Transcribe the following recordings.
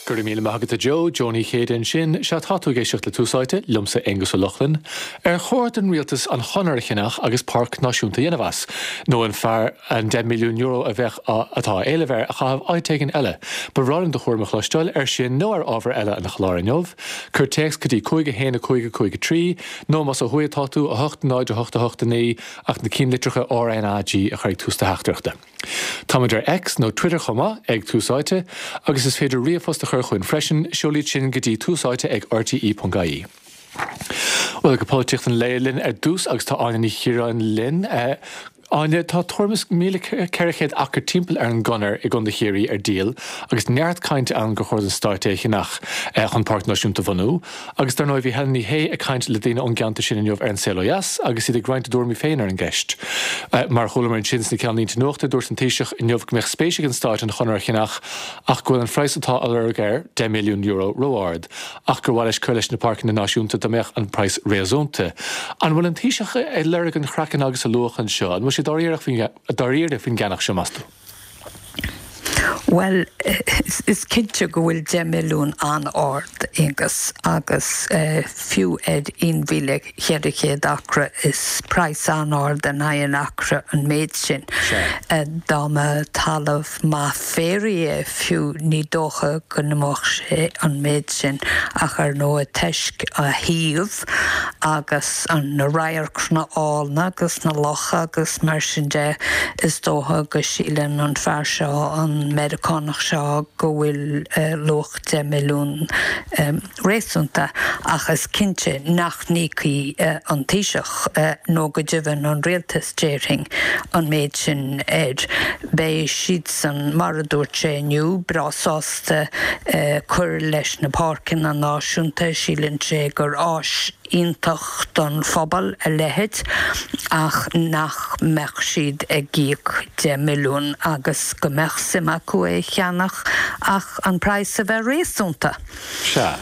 Go raibh míle maith agat a Joe, Joe Ní Chéide ansin. Sea, tá tú ag éisteacht le Tús Áite, liomsa Aonghus Ó Lochlainn. Ar chóir don rialtas an chonair a cheannach agus páirc náisiúnta a dhéanamh as? Nó an fearr an €10 milliún a bheadh á, atá á éileamh air, a chaitheamh áit éigin eile? Ba bhreá liom do thuairim a chloisteáil air sin nó ar ábhar eile an chláir inniu. Cuir téacs go dtí 5 1 5 5 3, nó más ó thuaidh atá tú, 8 0 8 8 9, ach na cinnlitreacha RnaG a chur ag tús do theachtaireachta. Táimid ar X nó Twitter chomh maith, ag Tús Áite, agus is féidir ríomhphost a chur chugainn freisin, seol iad sin go dtí túsáite ag rte.ie. Bhuel, go polaitíocht an lae linn ar dtús agus tá Áine Ní Chiaráin linn. Áine, tá tuairim is 1,400 acra timpeall ar an gConair i gContae Chiarraí ar díol agus neart cainte ann gur chóir don Stát é a cheannach chun Páirc Náisiúnta a bhunú. Agus dar ndóigh bhí Helen Ní Shé ag caint le daoine ón gceantar sin inniu ar An Saol Ó Dheas agus iad ag roinnt a dtuairimí féin ar an gceist. Mar a chualamar ansin sna ceannlínte nuachta, dúirt an Taoiseach inniu go mbeadh spéis ag an Stát an chonair a cheannach ach go bhfuil an praghas atá á lorg air, €10 milliún, ró-ard, ach gur mhaith leis cur leis na páirceanna náisiúnta dá mbeadh an praghas réasúnta. An bhfuil an Taoiseach ag lorg an chraicinn agus an luach anseo? An bhfuil sé dáiríre faoin gceannach seo, meas tú? Bhuel, is cinnte go bhfuil 10 milliún an-ard, Aonghus, agus fiú ar 1,400 acra, is praghas an-ard in aghaidh an acra an méid sin. Dá mba talamh maith féaraigh é fiú, ní dócha go n-imeodh sé an méid sin, ach ar ndóigh toisc a shuíomh agus na radharcanna álainn agus na locha agus mar sin de, is dócha go síleann an fear seo, an Meiriceánach seo, go bhfuil luach 10 milliún réasúnta ach is cinnte nach n-íocfaidh an Taoiseach, nó go deimhin an rialtas, déarfainn, an méid sin air. Beidh siadsan, mar a dúirt sé inniu, breá sásta cur leis na páirceanna náisiúnta, síleann sé gur áis iontach don phobal a leithéid ach nach mbeadh siad ag íoc 10 milliún agus go mbeadh suim acu é a cheannach ach an praghas a bheith réasúnta. Sea.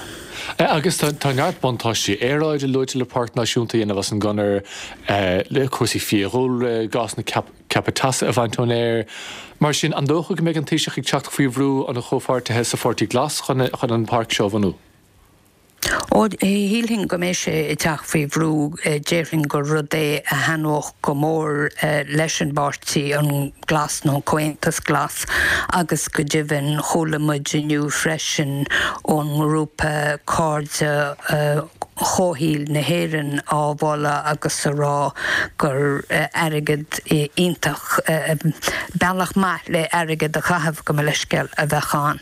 Agus tá neart buntáistí aeráide luaite le páirc náisiúnta a dhéanamh as an gconair, le cúrsaí fiadhúlra, gásanna ceaptha teasa a bhaint ón aer. Mar sin, an dócha go mbeidh an Taoiseach ag teacht faoi bhrú ó na comhpháirtithe sa Pháirtí Glas chun an pháirc seo a bhunú? Ó, shílfinn go mbeidh sé ag teacht faoi bhrú. Déarfainn gur rud é a thaitneodh go mór leis an bpáirtí, an Glas nó an Comhaontas Glas, agus go deimhin chuala muid inniu freisin ón ngrúpa Cairde Chomhshaoil na hÉireann á mholadh agus a rá gur airgead iontach, bealach maith le airgead a chaitheamh, gabh mo leithscéal, a bheadh ann.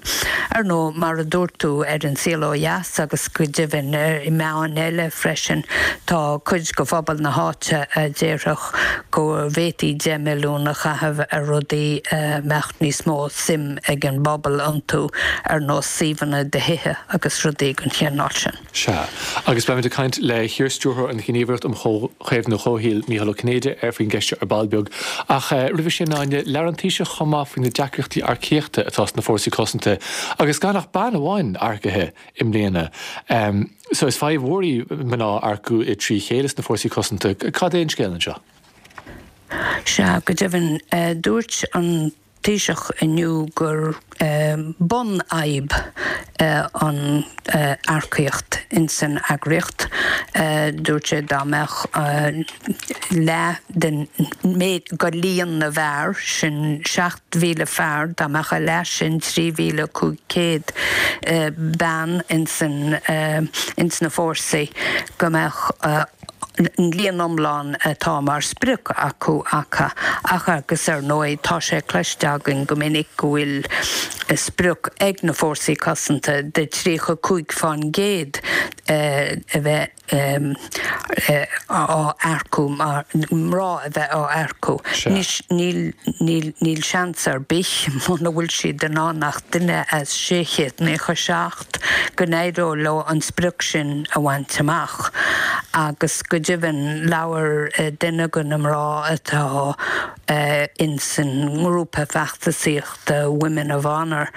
Ar ndóigh, mar a dúirt tú, ar An Saol Ó Dheas agus go deimhin i meáin eile freisin, tá cuid de phobal na háite a déarfadh go bhféadfaí 10 milliún a chaitheamh ar rudaí a mbeadh níos mó suim ag an bpobal iontu, ar nós suíomhanna do thithe agus rudaí den chineál sin. Sea. Agus beimid ag caint le hiar-stiúrthóir an Ghníomhaireacht um Chaomhnú Comhshaoil, Mícheál Ó Cinnéide, ar faoin gceist seo ar ball beag. Ach roimhe sin, Áine, labhair an Taoiseach chomh maith faoi na deacrachtaí earcaíochta atá sna fórsaí cosanta agus gan ach bean amháin earcaithe i mbliana. So is fadhb mhór í mná a earcú i dtrí chéile sna fórsaí cosanta. Cad é an scéal anseo? Sea, go deimhin, dúirt an Taoiseach inniu gur bunfhadhb an earcaíocht ins an eagraíocht. Dúirt sé dá mbeadh leath den méid de líon na bhfear, sin 7,000 fear, dá mbeadh a leath sin, 3,500 bean ins na fórsaí, go mbeadh an líon iomlán atá mar sprioc acu acu ach agus ar ndóigh tá sé cloiste againn go minic go bhfuil sprioc ag na Fórsaí Cosanta de 35% a bheith á earcú mar mná a bheith á earcú. Anois níl níl níl seans ar bith muna bhfuil siad in ann ach duine as 697 go n-éireodh leo an sprioc sin a bhaint amach agus go deimhin labhair duine de na mná atá. Ins an ngrúpa feachtasaíochta Women of Honour,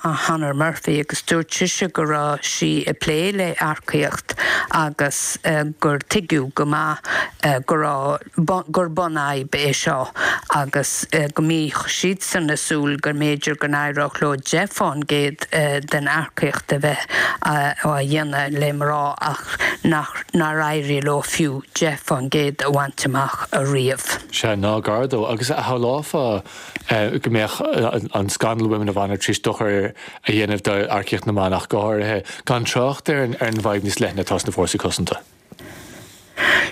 Honor Murphy, agus dúirt sise go raibh sí ag plé le earcaíocht agus gur tuigeadh go maith go raibh gur bunfhadhb é seo agus go mbíodh siadsan ag súil go mb'fhéidir go n-éireodh leo 10% den earcaíocht a bheith á dhéanamh le mná ach nach nár éirigh leo fiú 10% a bhaint amach ariamh. Sea, ná gar dó. Agus shamhlófá go mbeadh an scannal Women of Honour tar éis dochar a dhéanamh d'earcaíocht na mban ach go háirithe, gan trácht ar an bhfadhb níos leithne atá sna fórsaí cosanta.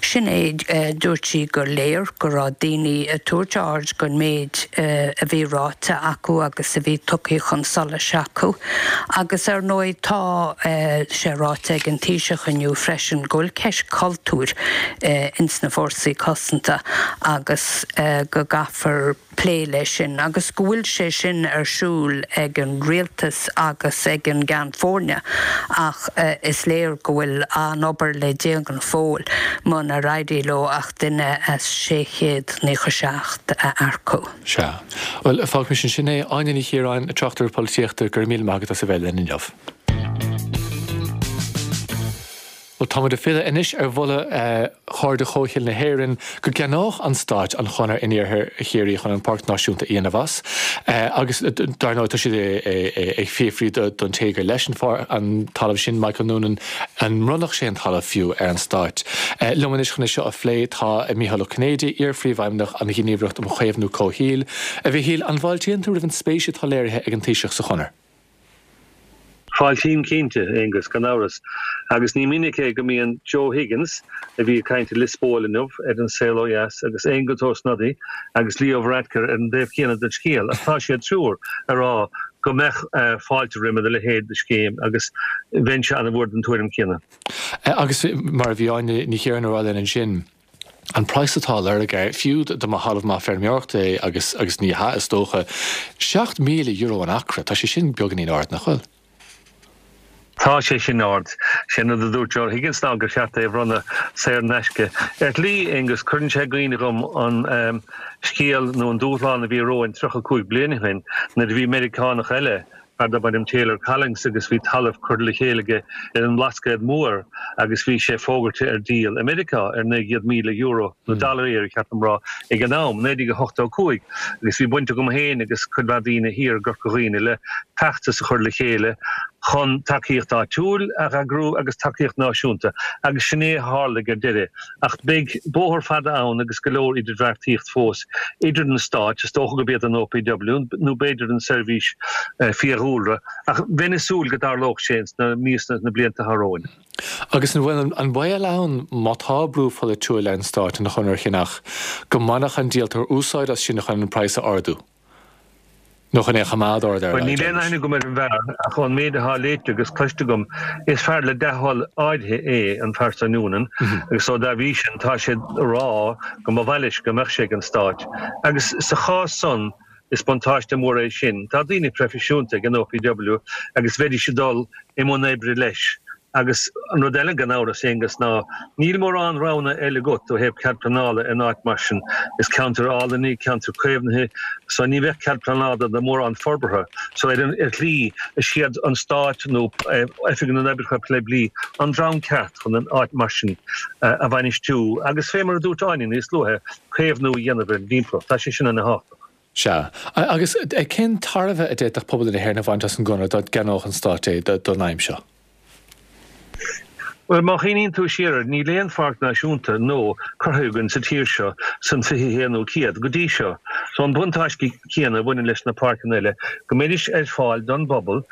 Sin é, dúirt sí gur léir go raibh daoine ag tabhairt aird don méid a bhí ráite acu agus a bhí tugtha chun solais acu. Agus ar ndóigh tá sé ráite ag an Taoiseach inniu freisin go bhfuil ceist cultúir ins na fórsaí cosanta agus go gcaithfear plé leis sin agus go bhfuil sé sin ar siúl ag an rialtas agus ag an gCeann Foirne ach is léir go bhfuil an-obair le déanamh go fóill munar éirigh leo ach duine as 697 a earcú. Sea. Bhuel, fágfaimis ansin é. Áine Ní Chiaráin, tráchtaire polaitíochta, go raibh míle maith agat as a bheith linn inniu. Bhuel, táimid ag filleadh anois ar mholadh Chairde Comhshaoil na hÉireann go gceannódh an Stáit an chonair in iarthar Chiarraí chun an Páirc Náisiúnta a dhéanamh as. Agus dar ndóigh tá siad ag fiafraí don té gur leis an talamh sin, Michael Noonan, an mbronnfadh sé an talamh fiú ar an Stáit. Liom anois chun é seo a phlé tá Mícheál Ó Cinnéide, iar-phríomhfheidhmeannach an Ghníomhaireacht um Chaomhnú Comhshaoil. A Mhichíl, an bhfáiltíonn tú roimh an spéis atá léirithe ag an Taoiseach sa chonair? Fáiltím cinnte, Aengus, gan amhras. Agus ní minic é go mbíonn Joe Higgins, a bhí ag caint i Lios Póil inniu ar An Saol Ó Dheas, agus Aengus Ó Snodaigh agus Leo Varadkar ar an dtaobh céanna den scéal. Ach tá siad triúr ag rá go mbeadh fáilte roimhe a leithéid de scéim agus bheinnse an-mhór den tuairim chéanna. Agus mar a bhí Áine Ní Chiaráin a rá linn ansin, an praghas atá á lorg air, fiú dá mba thalamh maith feirmeoireachta é, agus agus ní hea is dócha, €7,000 an acra, tá sé sin beagáinín ard, nach bhfuil? Tá sé sin ard. Sé an rud a dúirt Joe Higgins ná gur cheart é a bhronnadh saor in aisce. Ar shlí, Aengus, cuireann sé i gcuimhne dhom an scéal nó an dúshlán a bhí romhainn 35 bliain ó shin nuair a bhí Meiriceánach eile, fear darb ainm Taylor Collins agus bhí talamh curtha le chéile aige ar an mBlascaod Mór agus bhí sé fógartha ar díol i Meiriceá ar €900,000, nó dollaraí ar cheart dom rá, ag an am, 1985, agus bhí baint agam féin agus cuid mhaith daoine thiar i gCorca Dhuibhne le feachtas a chur le chéile chun tacaíocht áitiúil a eagrú agus tacaíocht náisiúnta agus sin é a tharlaigh ar deireadh. Ach beidh bóthar fada ann agus go leor idirbheartaíocht fós idir na stáit, is dócha gurb iad an OPW nó b'fhéidir an Seirbhís Fiadhúlra, ach bheinn ag súil go dtarlódh sé ins na míosa na blianta atá romhainn. Agus an bhfuil an baol ann, má tá brú pholaitiúil ar an stát an chonair a cheannach, go mbainfeadh an díoltóir úsáid as sin chun an praghas a ardú? Nó chun é a choimeád ard ar a Bhuel, níl aon aithne agam ar an bhfear, ach ón méid atá léite agus cloiste agam, is fear le dea-thoil áirithe é an fear seo Noonan, agus so dá bhrí sin tá sé ag rá go mba mhaith leis go mbeadh sé ag an Stáit. Agus sa chás san, is buntáiste mór é sin. Tá daoine proifisiúnta ag an OPW agus bheidís ag dul i mbun oibre leis. Agus an rud eile, gan amhras, Aonghus, ná níl mórán roghanna eile agat ó thaobh cead pleanála in áit mar sin. Is ceantar álainn é, ceantar caomhnaithe, so ní bheadh cead pleanála do mhórán forbartha. So ar ar shlí, is iad an Stát nó Oifig na nOibreacha Poiblí an dream ceart chun an áit mar sin a bhainistiú agus fé mar a dúirt Áine níos luaithe, caomhnú a dhéanamh ar an dtimpeallacht. Tá sé sin ana-thábhachtach. Sea. Agus cén tairbhe a d'fhéadfadh pobal na hÉireann a bhaint as an gconradh dá gceannódh an Stát é don aidhm seo? Bhuel, má chuimhníonn tú siar air, níl aon pháirc náisiúnta nua curtha againn sa tír seo san 21ú céad go dtí seo. So an buntáiste céanna a bhaineann leis na páirceanna eile, go mbeidís ar fáil don bpobal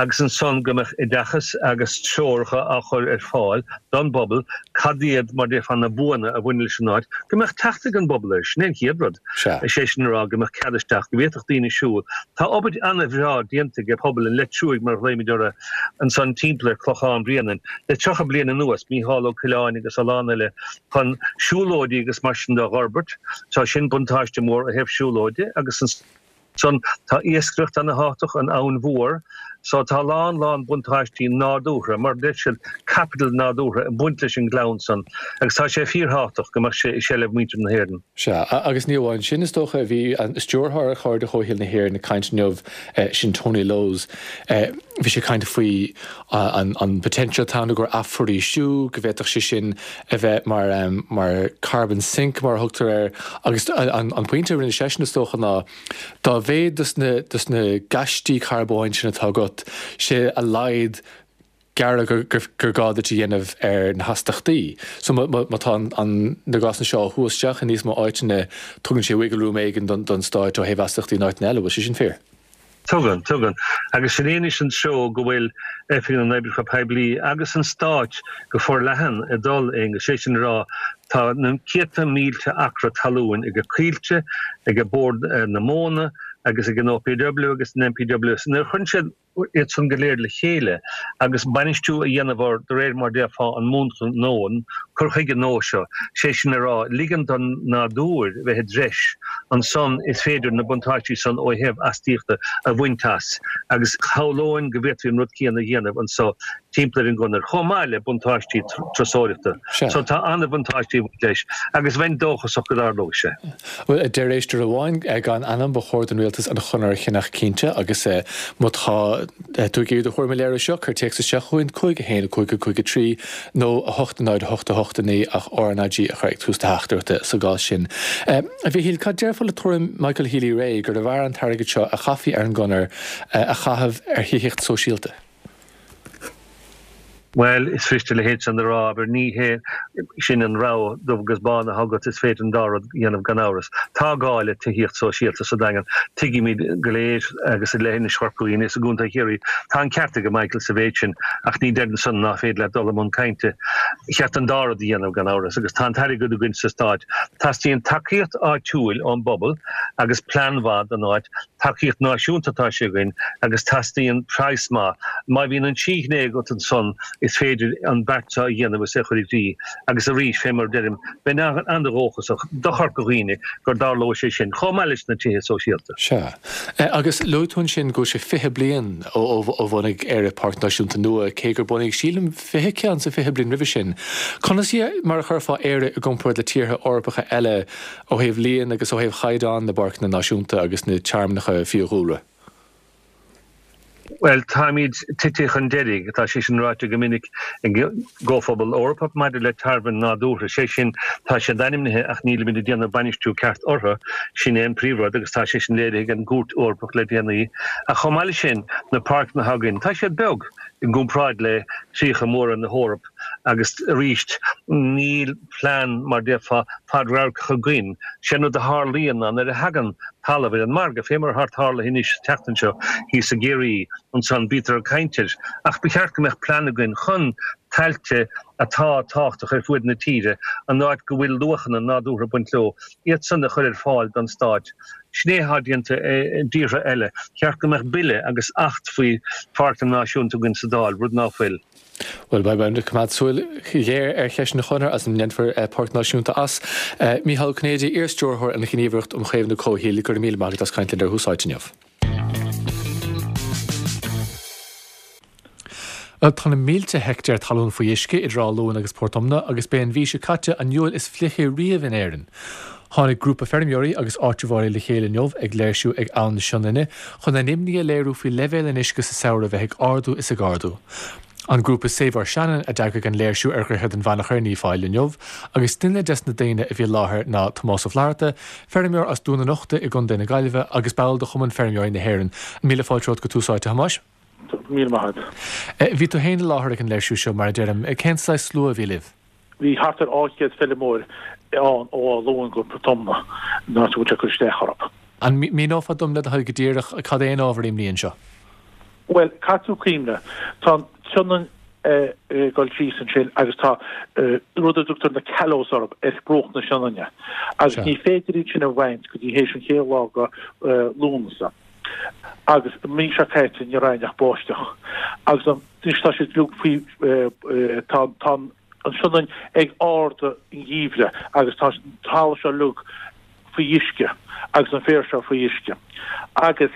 agus ansan go mbeadh oideachas agus treoracha á chur ar fáil don bpobal cad iad, mar déarfá, na buanna a bhaineann leis an áit, go mbeadh teacht ag an bpobal air. Sin é an chéad rud. Sea. Is é sin a rá go mbeadh cead isteach, go bhféadfadh daoine siúl. Tá obair an-bhreá déanta ag pobal an Leitriúigh, mar a ghlaoimid orthu, ansan timpeall ar Chlochán Bréanainn le 30 bliain anuas, Mícheál Ó Coileáin agus a lán eile, chun siúlóidí agus mar sin de a dh'fhorbairt. Tá sin buntáiste mór ó thaobh siúlóide agus ansan tá iascaireacht ana-thábhachtach, an Abhainn Mhór. So tá a lán, lán buntáistí nádúrtha, mar a deir siad, caipiteal nádúrtha ag baint leis an ngleann san agus tá sé fíorthábhachtach go mbeadh sé i seilbh mhuintir na hÉireann. Sea, agus ní amháin sin, is dócha, bhí an stiúrthóir ar Chairde Chomhshaoil na hÉireann ag caint inniu, sin Tony Lowes, bhí sé ag caint faoi an potential atá ann i gcomhair athfhoraoisiú, go bhféadfadh sé sin a bheith mar, mar carbon sink mar a thugtar air, agus an pointe a rinne seisean, is dócha, ná dá mhéad dos na, dos na gaistí carbóin sin atá agat, sé a laghad gearradh gur gá duit a dhéanamh ar na hastachtaí. So má tá na gásanna seo á shú isteach i níos mó áiteanna, tugann sé wiggle room éigin don stáit ó thaobh astachtaí in áiteanna eile. Bhfuil sé sin fíor? Tugann, tugann. Agus sin é anois an treo go bhfuil Oifig na nOibreacha Poiblí agus an Stáit go forleathan ag dul, Aonghus, sé sin a rá, tá na céadta mílte acra talúin ag Coillte, ag Bord na Móna agus ag an OPW agus an NPW. So nuair a chuireann siad iad san go léir le chéile agus bainistiú a dhéanamh orthu de réir mar déarfá an múnla nua, an cur chuige nua seo, sé sin a rá, ligean don nádúr bheith i dtreis, ansan is féidir na buntáistí san ó thaobh astaíochta a bhaint as agus shamhlóinn go bhféadfaí an rud céanna a dhéanamh anso timpeall ar an gconair, chomh maith le buntáistí turasóireachta. So tá an-bhuntáistí ag baint leis agus bheinn dóchasach go dtarlóidh sé. Bhuel, a deir éisteoir amháin gan ainm, ba chóir don rialtas an chonair a cheannach cinnte agus má tá tú ag iarraidh do thuairim a léiriú seo, cuir téacs isteach chugainn, 5 1 5 5 3 nó 8 0 8 8 9 ach RnaG a chur ag tús do theachtaireachta sa gcás sin. A Mhichíl, cad déarfá le tuairim Michael Healy-Rae gurbh fhearr an t-airgead seo a chaithfí ar an gconair a chaitheamh ar thithíocht sóisialta? Bhuel, is fuirist a leithéid san a rá, abair, ní hé sin an rogha dubh agus bán atá agat, is féidir an dá rud a dhéanamh gan amhras. Tá gá le tithíocht sóisialta sa Daingean, tuigimid go léir, agus i leithinis Chorca Dhuibhne is i gContae Chiarraí, tá an ceart ag Michael sa mhéid sin, ach ní deireann san ná féidir leat dul i mbun cainte. Cheart an dá rud a dhéanamh gan amhras, agus tá an t-airgead againn sa Stát. Teastaíonn tacaíocht áitiúil ón bpobal agus plean mhaith don áit, Tacaíocht náisiúnta atá sé againn agus teastaíonn praghas maith. Má bhíonn an trí ghné agat ansan is féidir an beart seo a dhéanamh is é a chur i gcrích. Agus arís, fé mar a deirim, bheinn an-dhóchasach do Chorca Dhuibhne gur dtarlóidh sé sin, chomh maith leis na tithe sóisialta. Sea. Agus luaigh tú ansin go bhfuil sé 20 bliain ó bhunaigh Éire Páirc Náisiúnta nua, cé gur bunaíodh, sílim, 20 ceann sa 20 bliain roimhe sin. Conas mar a chuirfeá Éire i gcomparáid le tíortha Eorpacha eile Ó thaobh líon agus ó thaobh chaighdeán na bpáirceanna náisiúnta agus na tearmannacha fiadhúlra. Bhuel, táimid tite chun deiridh, tá sé sin ráite go minic ag an gComhphobal Eorpach maidir le tearmainn nádúrtha, sé sin, tá siad ainmnithe ach nílimid ag déanamh bainistiú ceart orthu, sin é an príomhrud agus tá sé sin léirithe ag an gCúirt Eorpach le déanaí. Ach chomh maith leis sin, na páirceanna atá againn, tá siad beag i gcomparáid le críocha móra na hEorpa. Agus arís, níl plean, mar déarfá, fadradharcach againn. Sé an rud a tharlaíonn ná nuair a thagann talamh ar an margadh, fé mar atá tarlaithe anois an tseachtain seo thíos i gCiarraí, ansan bítear ag caint air. Ach ba cheart go mbeadh plean againn chun tailte atá tábhachtach ar fuaid na tíre, an áit go bhfuil luachanna nádúrtha ag baint leo, iad san a chur ar fáil don Stát. Sin é atá déanta i dtíortha eile. Cheart go mbeadh bille agus acht faoi pháirceanna náisiúnta againn sa Dáil, rud ná fuil. Bhuel, beidh muid ag coimeád súil ghéar ar cheist an chonair agus an ndéanfar páirc náisiúnta as. Mícheál Ó Cinnéide, iar-stiúrthóir an Ghníomhaireacht um Chaomhnú Comhshaoil, go raibh míle maith agat as caint linn ar Thús Áite inniu. Bhuel, tá na mílte heictéar talún faoi uisce idir Áth Luain agus Port Omna agus b'é an mhí seo caite an Iúil is fliche riamh in Éirinn. Tháinig grúpa feirmeoirí agus áitritheoirí le chéile inniu ag léirsiú ag Abhainn na Sionainne chun a n-imní a léiriú faoi leibhéal an uisce sa samhradh a bheith ag ardú is ag ardú. An grúpa Save Our Shannon a d'eagraigh an léirsiú ar Dhroichead an Mhanachair in Uíbh Fhailí inniu agus duine des na daoine a bhí i láthair ná Tomás Ó Flatharta, feirmeoir as Dún an Uchta i gContae na Gaillimhe agus ball de Chumann Feirmeoirí na hÉireann. Míle fáilte romhat go Tús Áite, a Thomáis. Míle maith agat. Bhí tú féin i láthair ag an léirsiú seo, mar a deirim. Cén saghas slua a bhí libh? Bhí thart ar 200 feilmeoir ann ó Áth Luain go Port Omna, an áit a bhfuil sé ag cur isteach orthu. An míneofá dom le do thoil go díreach cad é an ábhar imní anseo? Bhuel, caithfidh tú cuimhneamh, tá an tSionainn ag dul síos ansin agus tá rud a dtugtar na callows orthu ar bhruach na Sionainne agus ní féidir iad sin a bhaint go dtí théis an chéad lá de Lúnasa. Agus an mhí seo caite ní raibh aon ach báisteach agus an Anois tá siad uilig faoi, tá an tSionainn ag ardú an gheimhridh agus tá an talamh seo uilig faoi uisce agus an féar seo faoi uisce. Agus.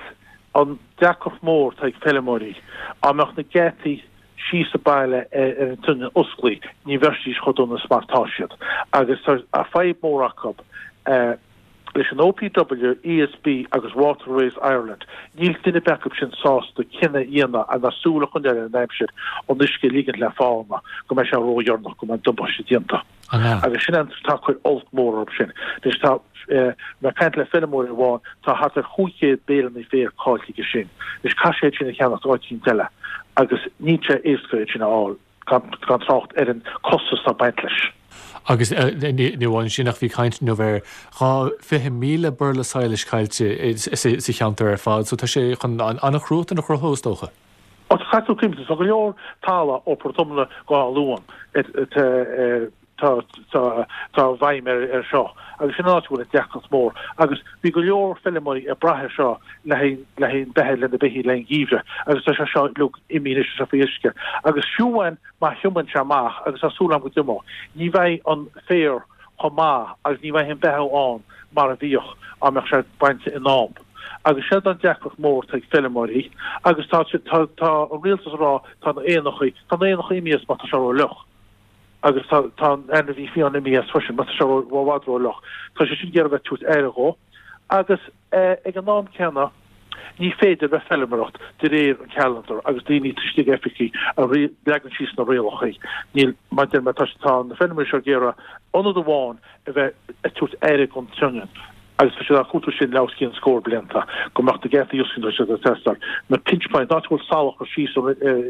An deacracht mór atá ag feilméaraí, dá mbeadh na geataí síos sa baile ar an tSionainn osclaithe, ní bheidís chomh dona is mar atá siad. Agus tá fadhb mór acu leis an OPW, ESB agus Waterways Ireland. Níl duine ar bith acu sin sásta cinneadh a dhéanamh ná súil a choinneáil ar an aimsir, an uisce a ligint le fána, go mbeidh sé ródheireanach, go mbeidh an damáiste déanta. Agus sin an tá ag cur olc mór orthu sin. Anois tá, mé ag caint le feilméara amháin, tá thart ar 500 béileanna féir caillte aige sin. Anois caithfidh sé iad sin a cheannacht áit eicínt eile agus níl sé éasca iad sin a fháil, gan trácht ar an costas atá ag baint leis. Agus ní amháin sin ach bhí caint inniu ar 20,000 burla sadhlais caillte sa cheantar ar fad so tá sé chun an-chruatan a chruthú is dócha. Ó tá caithfidh tú cuimhneamh, tá go leor talamh ó Phort Omna go Áth Luain tá tá i bhfeidhm ar seo agus sin an áit a bhfuil an deacracht mór agus bhí go leor feilméaraí ag brath ar seo le haghaidh le haghaidh an beatha lena beithígh le haghaidh an gheimhreadh agus tá sé seo uilig imithe anois tá sé faoi uisce agus fiú amháin má thriomaíonn sé amach agus tá súil agam go dtriomóidh ní bheidh an féar chomh maith agus ní bheidh an beatha ann mar a bhíodh dá mbeadh sé bainte in am. Agus seo an deacracht mór atá ag feilméaraí agus tá tá tá an rialtas ag rá tá na éanachaí tá na éanachaí imithe as mar tá sé ró-fhliuch agus tá tá an ainmhí fiáin imithe as freisin mar tá sé ró i bhfad ró-fhliuch. Tá sé sin ag iarraidh bheith ag tabhairt aire dhó agus ag an am céanna ní féidir bheith feilméaraireacht de réir an calendar agus daoine istigh in oifigí a leagann síos na rialacha. Níl, mar deir mé, tá tá na feilméaraí seo ag iarraidh ionad amháin a bheith ag tabhairt aire don tSionainn agus tá siad á cuartú sin le os cionn scór blianta, go mbeadh na geataí oscailte tá siad ag teastáil. Na pinch points, an áit a bhfuil salachar síos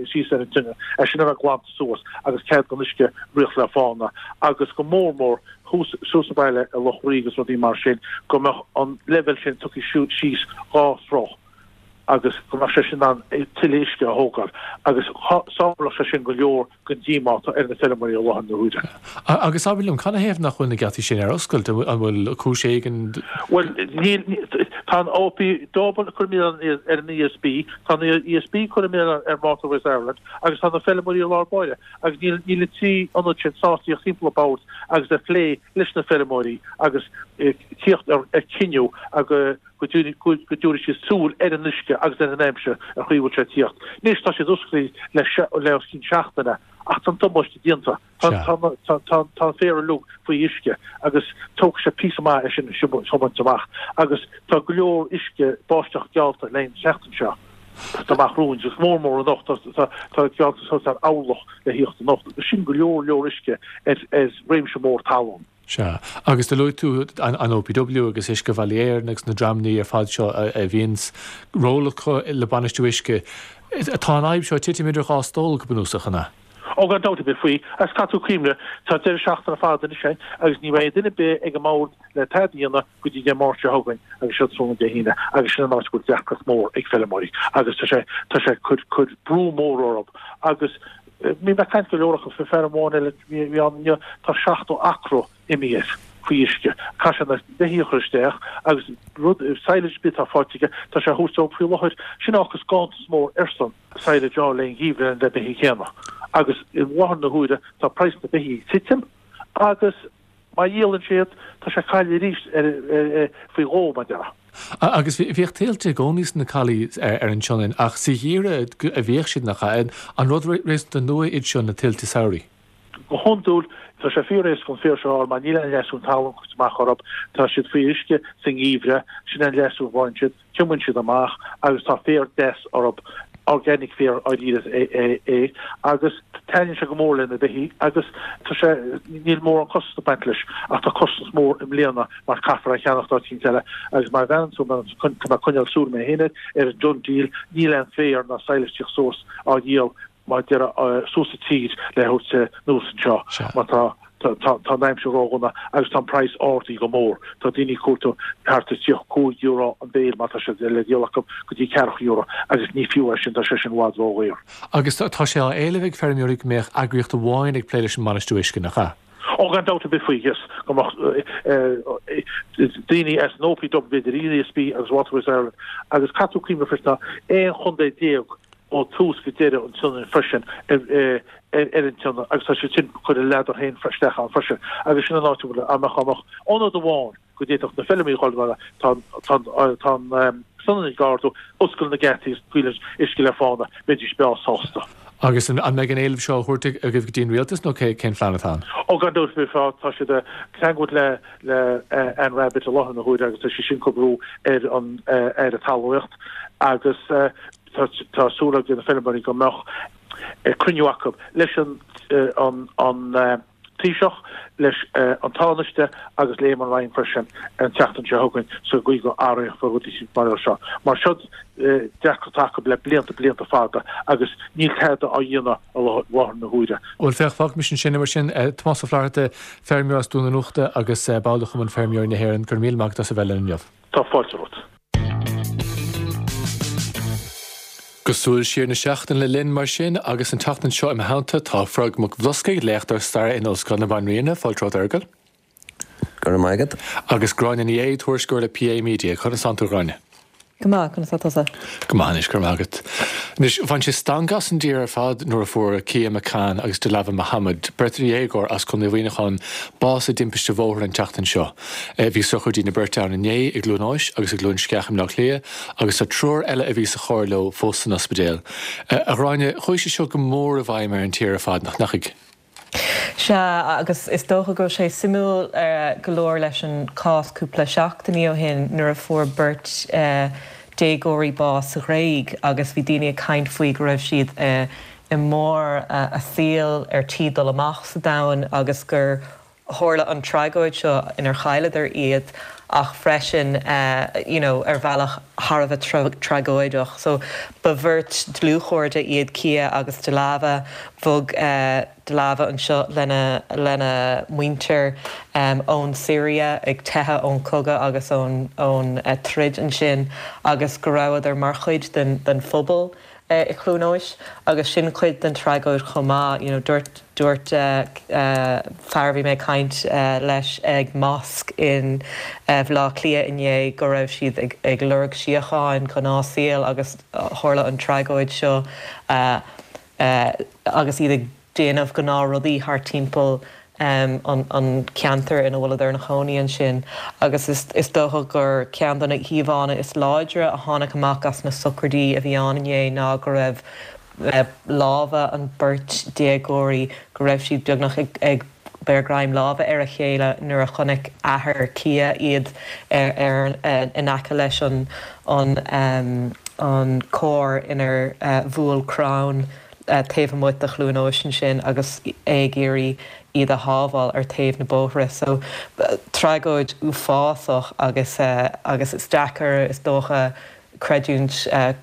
síos ar an tSionainn, é sin a bheith glanta suas agus cead don uisce rith le fána agus go mór mór thuas suas sa bhaile i Loch Rí agus rudaí mar sin, go mbeadh an leibhéal sin tugtha síos 2 throigh agus go mbeadh sé sin in ann tuilleadh uisce a thógáil agus shábhálfadh sé sin go leor den díomá atá ar na feilméaraí i láthair na huaire. Agus abair liom, canathaobh nach bhfuil na geataí sin ar oscailt? An bhfuil cúis éigin? Bhuel, níl, tá an OPW ag cur milleán ar an ESB, tá an ESB ag cur an milleán ar Waterways Ireland agus tá na feilméaraí i lár báire agus níl, níl na 3 ionad sin sásta tíocht timpeall an bord agus a phlé leis na feilméaraí agus tíocht ar cinneadh agus go dtabharfaidh siad súil ar an uisce agus ar an aimsir ar chaoi a bhfuil sé ag tíocht. Anois tá siad oscailte le os cionn seachtaine ach tá an damáiste déanta. Tá an féar uilig faoi uisce agus tógfaidh sé píosa maith é sin a thiomáint amach agus tá go leor uisce báisteach geallta le an tseachtain seo amach romhainn agus mór mór anocht tá geallta suas ar orlach le thíocht anocht agus sin go leor leor uisce ar réimse mór talún. Sea. Agus do luaigh tú an OPW agus Uiscebhealaí Éireann agus na dreamannaí ar fad seo a bhíonns ról acu le bainistiú uisce. Tá an fhadhb seo ag titim idir dhá stól, go bunúsach, an ea? Ó, gan dabht ar bith faoi. Agus caithfidh tú cuimhneamh, tá deireadh seachtaine fada anois againn agus ní bheidh duine ar bith ag an mbord le tada a dhéanamh go dtí Dé Máirt seo chugainn agus seo tráthnóna Dé hAoine agus sin an áit a bhfuil deacracht mór ag feilméaraí agus tá sé, tá sé ag cur, cur brú mór orthu agus Bhí mé ag caint go leor acu, fear amháin eile a bhí ann inniu, tá 70 acra imithe air faoi uisce. Caithfidh sé na beithígh a chur isteach agus rud, silage ar bith atá faighte aige, tá sé a thabhairt dóibh faoi láthair. Sin a fhágfas ganntanas mór airsean silage a fháil le an gheimhreadh na beithígh céanna. Agus i láthair na huaire tá praghas na beithígh ag titim agus Má dhíolann sé iad, tá sé ag cailleadh arís faoi dhó, mar a déarfá. Agus bhíodh tuilte i gcónaí sna calaí ar an tSionainn, ach sa gheimhreadh a bhíodh siad, nach ea? An rud réasúnta nua iad seo, na tuilte samhraidh? Go hiondúil, tá sé fíor-éasca an féar seo a fháil mar níl aon leasú talún curtha amach orthu. Tá siad faoi uisce sa ngeimhreadh, sin an leasú a bhain siad. Triomaíonn siad amach agus tá féar deas orthu, organic féar dáiríre é, agus taitníonn sé go mór le na beithígh agus tá sé, níl mórán costas ag baint leis ach tá costas mór i mbliana mar caithfear é a cheannacht áit eicínt eile agus mar a bhreathnaíonn tú, tá mé ag coinneáil súil mé féin air, ar an DoneDeal, níl aon féar ná silage ag tíocht suas á dhíol mar a déarfá suas an tír le thabhairt anuas anseo mar tá tá an aimsir ródhona agus tá an praghas ardaithe go mór. Tá daoine ag cuartú thart ar €35 an bhéil má tá sé le díol acu go dtí €40 agus ní fiú é sin, tá sé sin i bhfad ródhaor. Agus tá sé á éileamh ag feirmeoirí go mbeadh eagraíocht amháin ag plé leis an mbainistiú uisce, nach ea? Ó gan dabht ar bith faoi, yes, go mbeadh daoine as an OPW, b'fhéidir ESB agus Waterways Ireland agus caithfidh tú cuimhneamh freisin tá 11 chontae ó thús go deireadh an tSionainn freisin ar an tSionainn agus tá siad sin ag cur a ladar féin isteach ann freisin agus sin an áit a bhfuil, dá mbeadh ionad amháin. go bhféadfadh na feilméaraí a dhul tá tá an Sionainn ag ardú, oscail na geataí agus scaoil an uisce le fána, bheidís breá sásta. Agus an mbeidh an éileamh seo á thabhairt agaibh go dtí an rialtas nó cén phlean atá ann? Ó gan dabht beifear, tá siad ag teagmháil le le Anne Rabbitte i láthair na huaire agus tá sí sin ag cur brú ar an Aire Talmhaíocht agus tá súil ag na feilméaraí go mbeadh cruinniú acu leis an an Taoiseach, leis an Tánaiste agus le Eamon Ryan freisin an tseachtain seo chugainn sa gcaoi go athrófar rudaí mar seo. Mar seo deacracht acu le blianta, blianta fada agus níl tada á dhéanamh i láthair na huaire. Bhuel, féach, fágfaimis ansin é mar sin. Tomás Ó Flatharta, feirmeoir as Dún an Uchta agus ball de Chumann Feirmeoirí na hÉireann, go raibh míle maith agat as a bheith linn inniu. Tá fáilte romhat. Go Súil Siar na Seachtaine linn mar sin agus an tseachtain seo i mo theannta tá Fergal Mac Bhloscaidh, léachtóir staire in Ollscoil na Banríona. Fáilte romhat a Fheargail. Go raibh maith agat. Agus Gráinne Ní Aodha, tuairisceoir le PA Media. Conas tánn tú a Ghráinne? Go maith, conas tá tusa? Go maith anois, go raibh maith agat. Anois, bhain sé stangadh as an dtír ar fad nuair a fuair Kia McCann agus Dilava Mohammed, beirt dhéagóir as Contae Mhuineacháin, bás i dtimpiste bhóthair an tseachtain seo. Bhí sochraidí na beirte ann inné i gCluain Eois agus i gCluain Sceach i mBleá Cliath agus tá triúr eile a bhí sa charr leo fós san ospidéal. A Ghráinne, chuaigh sé seo go mór i bhfeidhm ar an tír ar fad, nach ndeachaigh? Sea, agus is dócha go raibh sé suimiúil go leor leis an cás cúpla seachtainí ó shin nuair a fuair beirt déagóirí bás sa Ghréig agus bhí daoine ag caint faoi go raibh siad i mbarr a saoil ar tí dul amach sa domhan agus gur tharla an tragóid seo inar chailleadar iad ach freisin you know ar bhealach thar a bheith tragóideach. So ba bheirt dlúthchairde iad Kia agus Dilava. Bhog Dilava anseo lena lena muintir ón Siria ag teitheadh ón cogadh agus ón ón troid ansin agus go rabhadar mar chuid den den phobal i Cluain Eois agus sin cuid den tragóid chomh maith. You know dúirt dúirt fear a bhí mé ag caint leis ag mosque in Bhaile Átha Cliath inné go raibh siad ag ag lorg síocháin, gnáthshaol agus tharla an tragóid seo agus iad ag déanamh gnáthrudaí thart timpeall an ceantar ina bhfuileadar ina chónaí ansin agus is dócha gur ceann de na híomhánna is láidre a tháinig amach as na sochraidí a bhí ann inné ná go raibh lámha an beirt déagóirí, go raibh siad beagnach ag beir greim láimhe ar a chéile nuair a chonaic athair Kia iad ar in aice leis an an carr inar bhuail crann taobh amuigh de Chluain Eois ansin agus é ag iarraidh iad a shábháil ar taobh na bóithre. So, tragóid uafásach agus agus is deacair is dócha creidiúint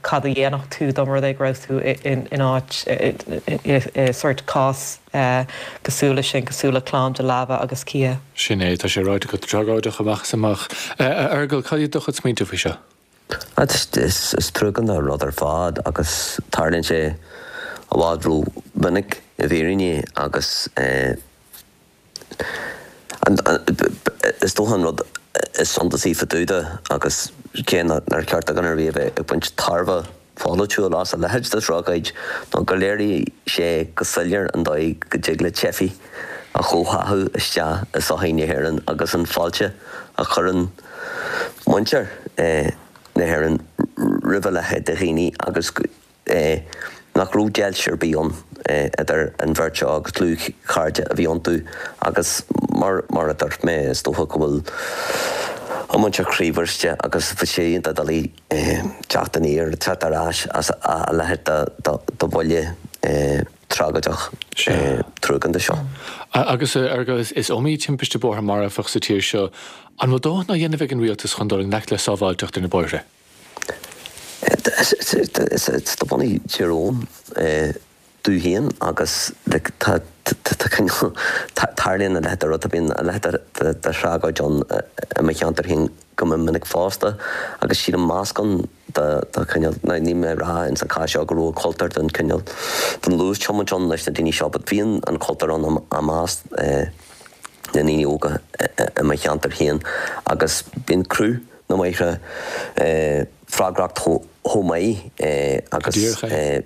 cad a dhéanfadh tú dá mba rud é go raibh tú in áit i sórt cás cosúil leis sin, cosúil le clann Dilava agus Kia. Sin é, tá sé ráite agat, tragóideach amach is amach. A Fheargail, cad iad do chuid smaointe faoi seo? Is truagánta an rud ar fad agus tarlaíonn sé i bhfad ró-mhinic i bhfírinne agus is dócha an rud is suntasaí fá dtaobh de agus cé nár cheart do dhuine ar bith a bheith ag baint tairbhe pholaitiúil as a leithéid de thragóid ná gur léirigh sé go soiléir an dóigh go dtig le teifigh a chomhtháthú isteach i sochaí na hÉireann agus an fáilte a chuireann muintir na hÉireann roimh a leithéid de dhaoine agus nach raibh deighilt ar bith ann idir an bheirt seo agus dlúthchairde a bhí iontu agus mar mar a dúirt mé is dócha go bhfuil an mhuintir croíbhriste agus bheadh sé iontach doiligh teacht aniar, teacht ar ais as a leithéid de bhuille. tragóideach truagánta seo. Agus a Fheargail, is iomaí timpiste bóthair marfach sa tír seo. An bhfuil dóthain á dhéanamh ag an rialtas chun dul i ngleic le sábháilteacht ar na bóithre? Is de bhunadh Thír Eoghain domh féin agus tá cineál, tarlaíonn a leithéid de rud, bíonn a leithéid de thragóid ann i mo cheantar féin go mion minic fosta agus sílim meascán de chineál, now níl mé ag rá ins an chás seo go raibh an cultúr den chineál, den luas-tiomáint ann leis na daoine seo but bíonn an cultúr ann i measc na ndaoine óga i mo cheantar féin agus bíonn cruth na mbóithre freagrach chomh maith agus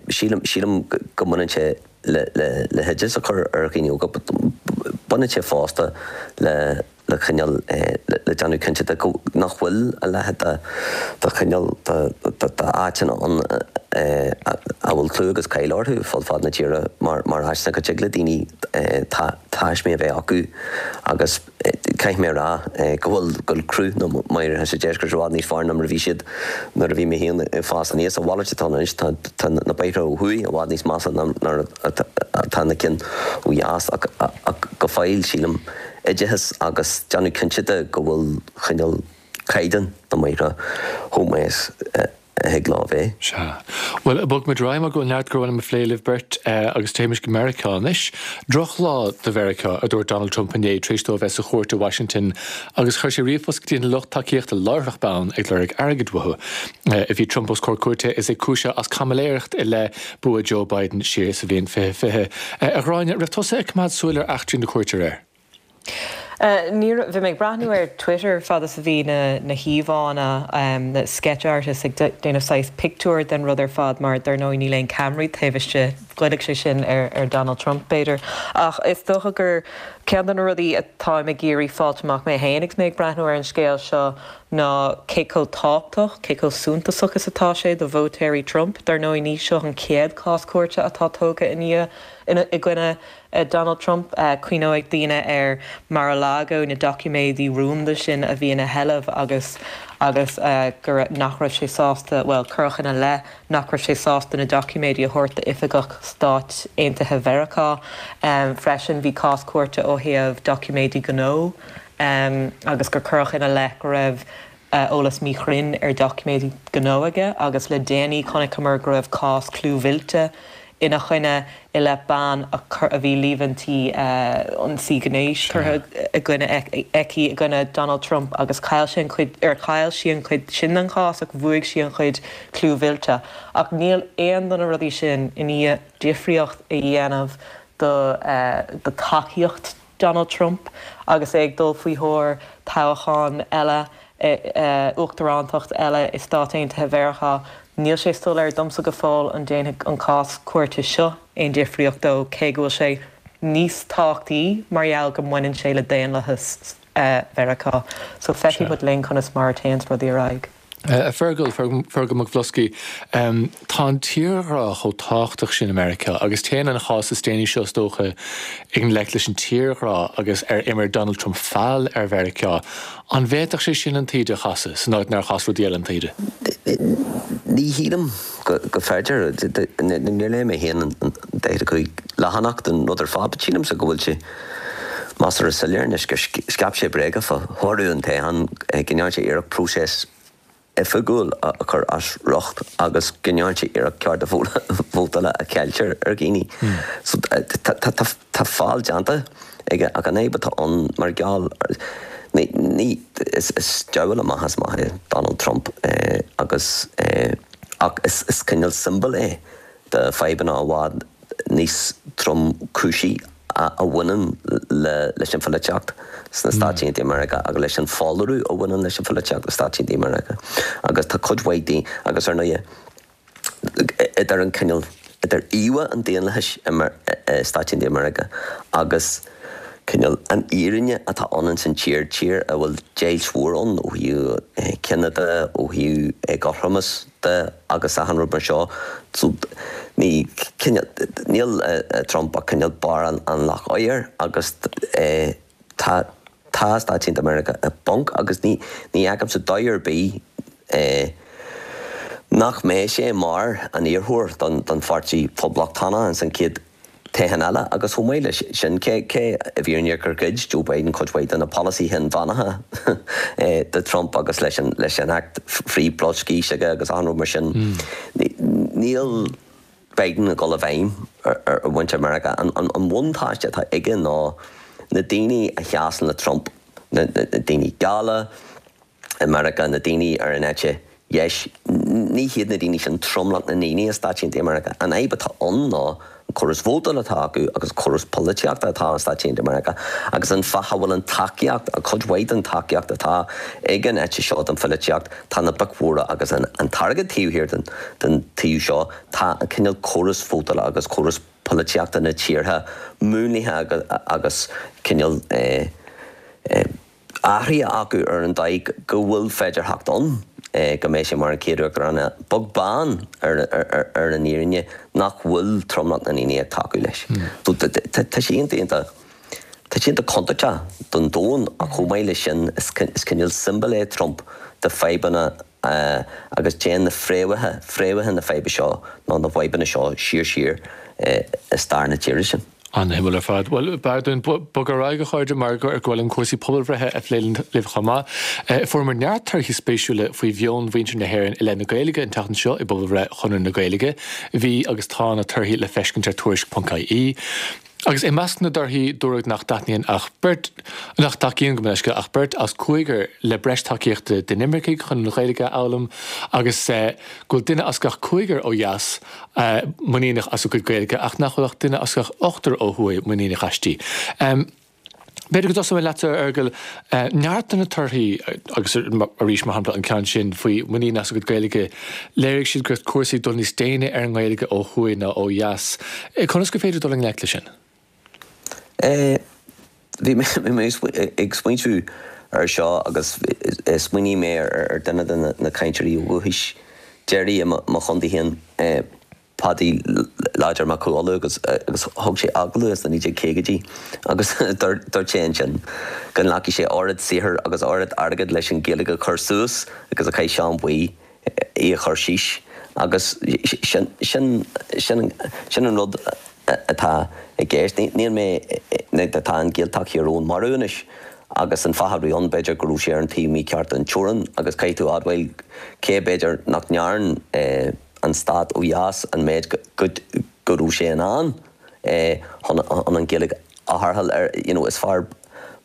sílim, sílim go mbaineann sé le le hoideas a chur ar dhaoine óga but baineann sé fosta le. le cineál le déanamh cinnte de go nach bhfuil a leithéid de de chineál de d'áiteanna ann a bhfuil clú agus cáil orthu fud fad na tíre mar mar áiteanna go dtig le daoine taismí a bheith acu agus caithfidh mé a rá go bhfuil go bhfuil cruth na mbóithre sa deisceart i bhfad níos fearr ná mar a bhí siad nuair a bhí mé féin ag fás aníos. A mhalairt atá ann anois, tá tá na bóithre ó thuaidh i bhfad níos measa ná mar atá na cinn ó dheas ach ach go fóill sílim oideachas agus déanamh cinnte de go bhfuil cineál caighdeán na mbóithre chomh maith is a thig leo a bheith. Sea. Bhuel, bogfaimid ar aghaidh mar go bhfuil neart gur mhaith liom a phlé libh beirt agus téimis go Meiriceá anois. Drochlá do Mheiriceá, a dúirt Donald Trump inné tar éis dó a bheith sa chúirt i Washington agus chuir sé ríomhphost go dtí an lucht tacaíochta láithreach bonn ag lorg airgid uathu. Bhí Trump os comhair cúirte is é cúisithe as caimiléireacht i leith bua Joe Biden siar sa bhliain 2020. A Ghráinne, raibh tusa ag coimeád súil ar eachtraí na cúirte aréir? Ní raibh. Bhí mé ag breathnú ar Twitter fad is a bhí na na híomhánna, na sketch artists ag déanamh saghas pictiúr den rud ar fad mar dar ndóigh níl aon ceamaraí taobh istigh. Ghoillfeadh sé sin ar ar Donald Trump b'fhéidir. Ach is dócha gur ceann de na rudaí atáim ag iarraidh fáilt amach mé féin agus mé ag breathnú ar an scéal seo ná cé chomh tábhachtach, cé chomh suntasach is atá sé do vótóirí Trump. Dar ndóigh, ní seo an chéad chás cúirte atá tógtha i ndiaidh, i gcoinne Donald Trump. Cuimhneoidh daoine ar Mar-a-Lago, na doiciméidí rúnda sin a bhí ina sheilbh agus agus go raibh, nach raibh sé sásta, bhuel, cuireadh ina leith nach raibh sé sásta na doiciméidí a thabhairt d'oifigeach Stáit Aontaithe Mheiriceá. Freisin, bhí cás cúirte ó thaobh doiciméidí gnó. agus gur cuireadh ina leith go raibh eolas míchruinn ar dhoiciméidí gnó aige agus le déanaí chonaiceamar go raibh cás clúmhillte ina choinne i leith bean a bhí líomhaintí ionsaí gnéis curtha i gcoinne aici i gcoinne Donald Trump agus chaill sé an chuid ar chaill sí an chuid sin den chás ach bhuaigh sí an chuid clúmhillte ach níl aon de na rudaí sin i ndiaidh difríocht a dhéanamh do do tacaíocht Donald Trump agus é ag dul faoi thóir toghchán eile, uachtarántacht eile i Stáit Aontaithe Mheiriceá. Níl sé soiléir domsa go fóill an ndéanfaidh an cás cúirte seo aon difríocht dó, cé go bhfuil sé níos tábhachtaí mar gheall go mbaineann sé le daonlathas Mheiriceá. So feicfidh muid linn conas mar a théanns rudaí ar aghaidh. A Fergal, Fergal Mac Bhloscaidh, tá an tírghrá chomh tábhachtach sin i Meiriceá agus téann an chás is déanaí seo is dócha i ngleic leis an tírghrá agus ar imir Donald Trump feall ar Mheiriceá. An bhféadfadh sé sin an taoide a chasadh san áit nár chas rudaí eile an taoide? Ní shílim go féidir. Níor léigh mé féin an 45 leathanach den rud ar fad but sílimse go bhfuil sé measartha soiléir anois gur scaip sé bréaga fá thoradh an toghcháin, go ndearna sé iarracht próiseas oifigiúil a chur as riocht agus go ndearna sé iarracht cearta vótála a cheilt ar dhaoine. So tá feall déanta aige ach an fhadhb atá ann mar gheall ní, ní, is diabhal amach is amach é Donald Trump agus ach is cineál siombail é de fadhbanna i bhfad níos tromchúisí a bhaineann leis an pholaitíocht sna Stáit Aontaithe Meiriceá agus leis an pholarú a bhaineann leis an pholaitíocht sna Stáit Aontaithe Meiriceá. Agus tá cuid mhaith daoine, agus ar ndóighe, idir an cineál, idir íomhá an daonlathais i Stáit Aontaithe Meiriceá agus cineál an fhírinne atá ann ins an tír, tír a bhfuil deighilt mhór ann ó thaobh cine de, ó thaobh éagothromas de agus achan rud mar seo. So ní, cineál, níl Trump ach cineál barr an loch oighir agus tá, tá Stáit Aontaithe Meiriceá i bponc agus ní, ní fheicimse dóigh ar bith nach mbeidh sé mar an iarrthóir don, don Pháirtí Poblachtánach ins an chéad toghchán eile agus chomh maith leis sin, cé i bhfírinne gur ghoid Joe Biden cuid mhaith de na polasaithe inmheánacha de Trump agus leis an leis an Acht Frith-Bhruscair s'aige agus achan rud mar sin, níl Biden ag dul i bhfeidhm ar mhuintir Mheiriceá. An bhuntáiste atá aige ná na daoine a sheasann le Trump, na daoine geala, i Meiriceá, na daoine ar an eite dheis, ní hiad na daoine sin tromlach na ndaoine i Stáit Aontaithe Meiriceá. An fhadhb atá ann ná an córas vótála atá acu agus an córas polaitíochta atá i Stáit Aontaithe Meiriceá agus an fáth a bhfuil an tacaíocht, cuid mhaith den tacaíocht atá ag an eite seo den pholaitíocht, tá na boic mhóra agus an t-airgead taobh thiar den taobh seo, tá an cineál córas vótála agus córas polaitíochta na tíortha múnlaithe agus cineál eh. athraithe acu ar an dóigh go bhfuil féidearthacht ann go mbeidh sé mar an chéad uachtarán eile, beag beann ar an fhírinne nach bhfuil tromlach na ndaoine ag tacú leis. So tá sé iontach, iontach, tá sé iontach contúirteach don domhan ach chomh maith leis sin is cineál siombail é Trump de fadhbanna agus téann na fréamhacha, fréamhacha na faidhbe seo nó na bhfadhbanna seo siar siar i stair na tíre sin. An-shuimiúil ar fad. Bhuel, b'fhearr dúinn bogadh ar aghaidh, a chairde, mar go bhfuil an cúrsaí pobalbhreithe a phlé libh chomh maith. Fuaireamar neart torthaí spéisiúla faoi mheon mhuintir na hÉireann i leith na Gaeilge an tseachtain seo i bpobalbhreith Chonradh na Gaeilge. Bhí agus tá na torthaí le feiscint ar tuairisc.ie. Agus i measc na dtorthaí, dúradh nach dtaitníonn ach beirt, nach dtacaíonn, gabh mo leithscéal, ach beirt as cúigear le breis tacaíochta d'inimircigh chun an Ghaeilge a fhoghlaim agus go bhfuil duine as gach cúigear ó dheas muiníneach as a gcuid Gaeilge ach nach bhfuil ach duine as gach ochtar ó thuaidh muiníneach aisti. B'fhéidir go dtosóidh mé leatsa, a Fheargail. Neart de na torthaí, agus arís, mar shampla, an ceann sin faoi muinín as a gcuid Gaeilge, léirigh siad go raibh cúrsaí ag dul níos déine ar an nGaeilge ó thuaidh ná ó dheas. Conas gur féidir dul i ngleic leis sin? Bhí mé ag smaointiú ar seo agus smaoinigh mé ar duine de na cainteoirí ó dhúchais deiridh i mo chontae féin, Paddy Láidir Mac Cú Uladh agus thug sé agallamh sna 1950idí agus dúirt sé ansin go nglacfaidh sé oiread saothair agus oiread airgid leis an Ghaeilge a chur suas agus a chaith Seán Buí í a chur síos agus sin sin sin an rud atá i gceist. Níl mé tá an Ghaeltacht Thír Eoghain marbh anois agus an fáth a raibh ann b'fhéidir go raibh sé ar an taobh mícheart den teorainn agus caithfidh tú a admháil cé b'fhéidir nach ndearn an stát ó dheas an méid go raibh sé in ann chun an Ghaeilge a tharrtháil ar you know is fearr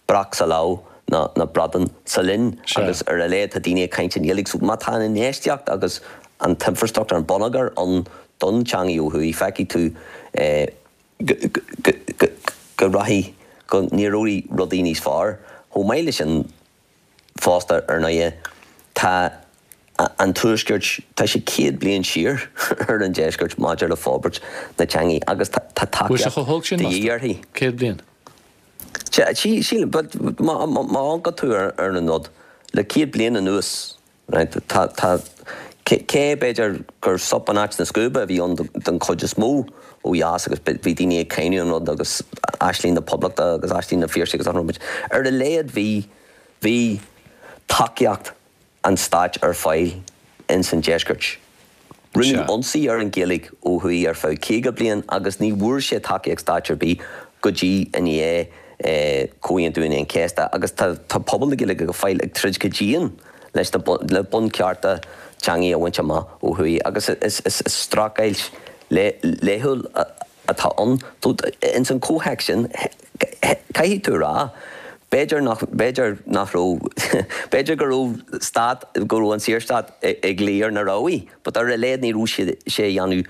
breac sa loch ná ná bradán sa linn agus ar a laghad tá daoine ag caint i nGaeilge so má tá an infheistíocht agus an t-infrastruchtúr an bonneagar ann don teangaidh ó thuaidh feicfidh tú go rachaidh go n-éireoidh rudaí níos fearr. Chomh maith leis sin fosta, ar ndóighe, tá an Tuaisceart, tá sé 100 bliain siar ar an Deisceart maidir le forbairt na teangaidh agus tá Bhfuil sé tacaíocht chomh holc sin, de dhíth uirthi. 100 bliain? Sílim, but má amharcann tú ar an rud, le 100 bliain anuas, Right, tá, tá, cé b'fhéidir gur sop in áit na scuaibe a bhí ann don chuid is mó ó dheas agus bhí daoine ag cáineadh an rud agus aisling na poblachta agus aisling na Phiarsaigh agus achan rud, ar a laghad bhí, bhí tacaíocht an stáit ar fáil ins an deisceart. Rinneadh ionsaí ar an Ghaeilge ó thuaidh ar feadh 50 bliain agus ní bhfuair sé tacaíocht stáit ar bith go dtí i ndiaidh Comhaontú Aoine an Chéasta agus tá pobal na Gaeilge go fóill ag troid go dian leis na le bunchearta teangaidh a bhaint amach ó thuaidh agus is streachailt laethúil atá ann. Ins an chomhthéacs sin, caithfidh tú a rá, b'fhéidir nach, b'fhéidir nach raibh, b'fhéidir go raibh stát, go raibh an Saorstát ag luí ar na ramhaí, but ar a laghad ní raibh sé ag déanamh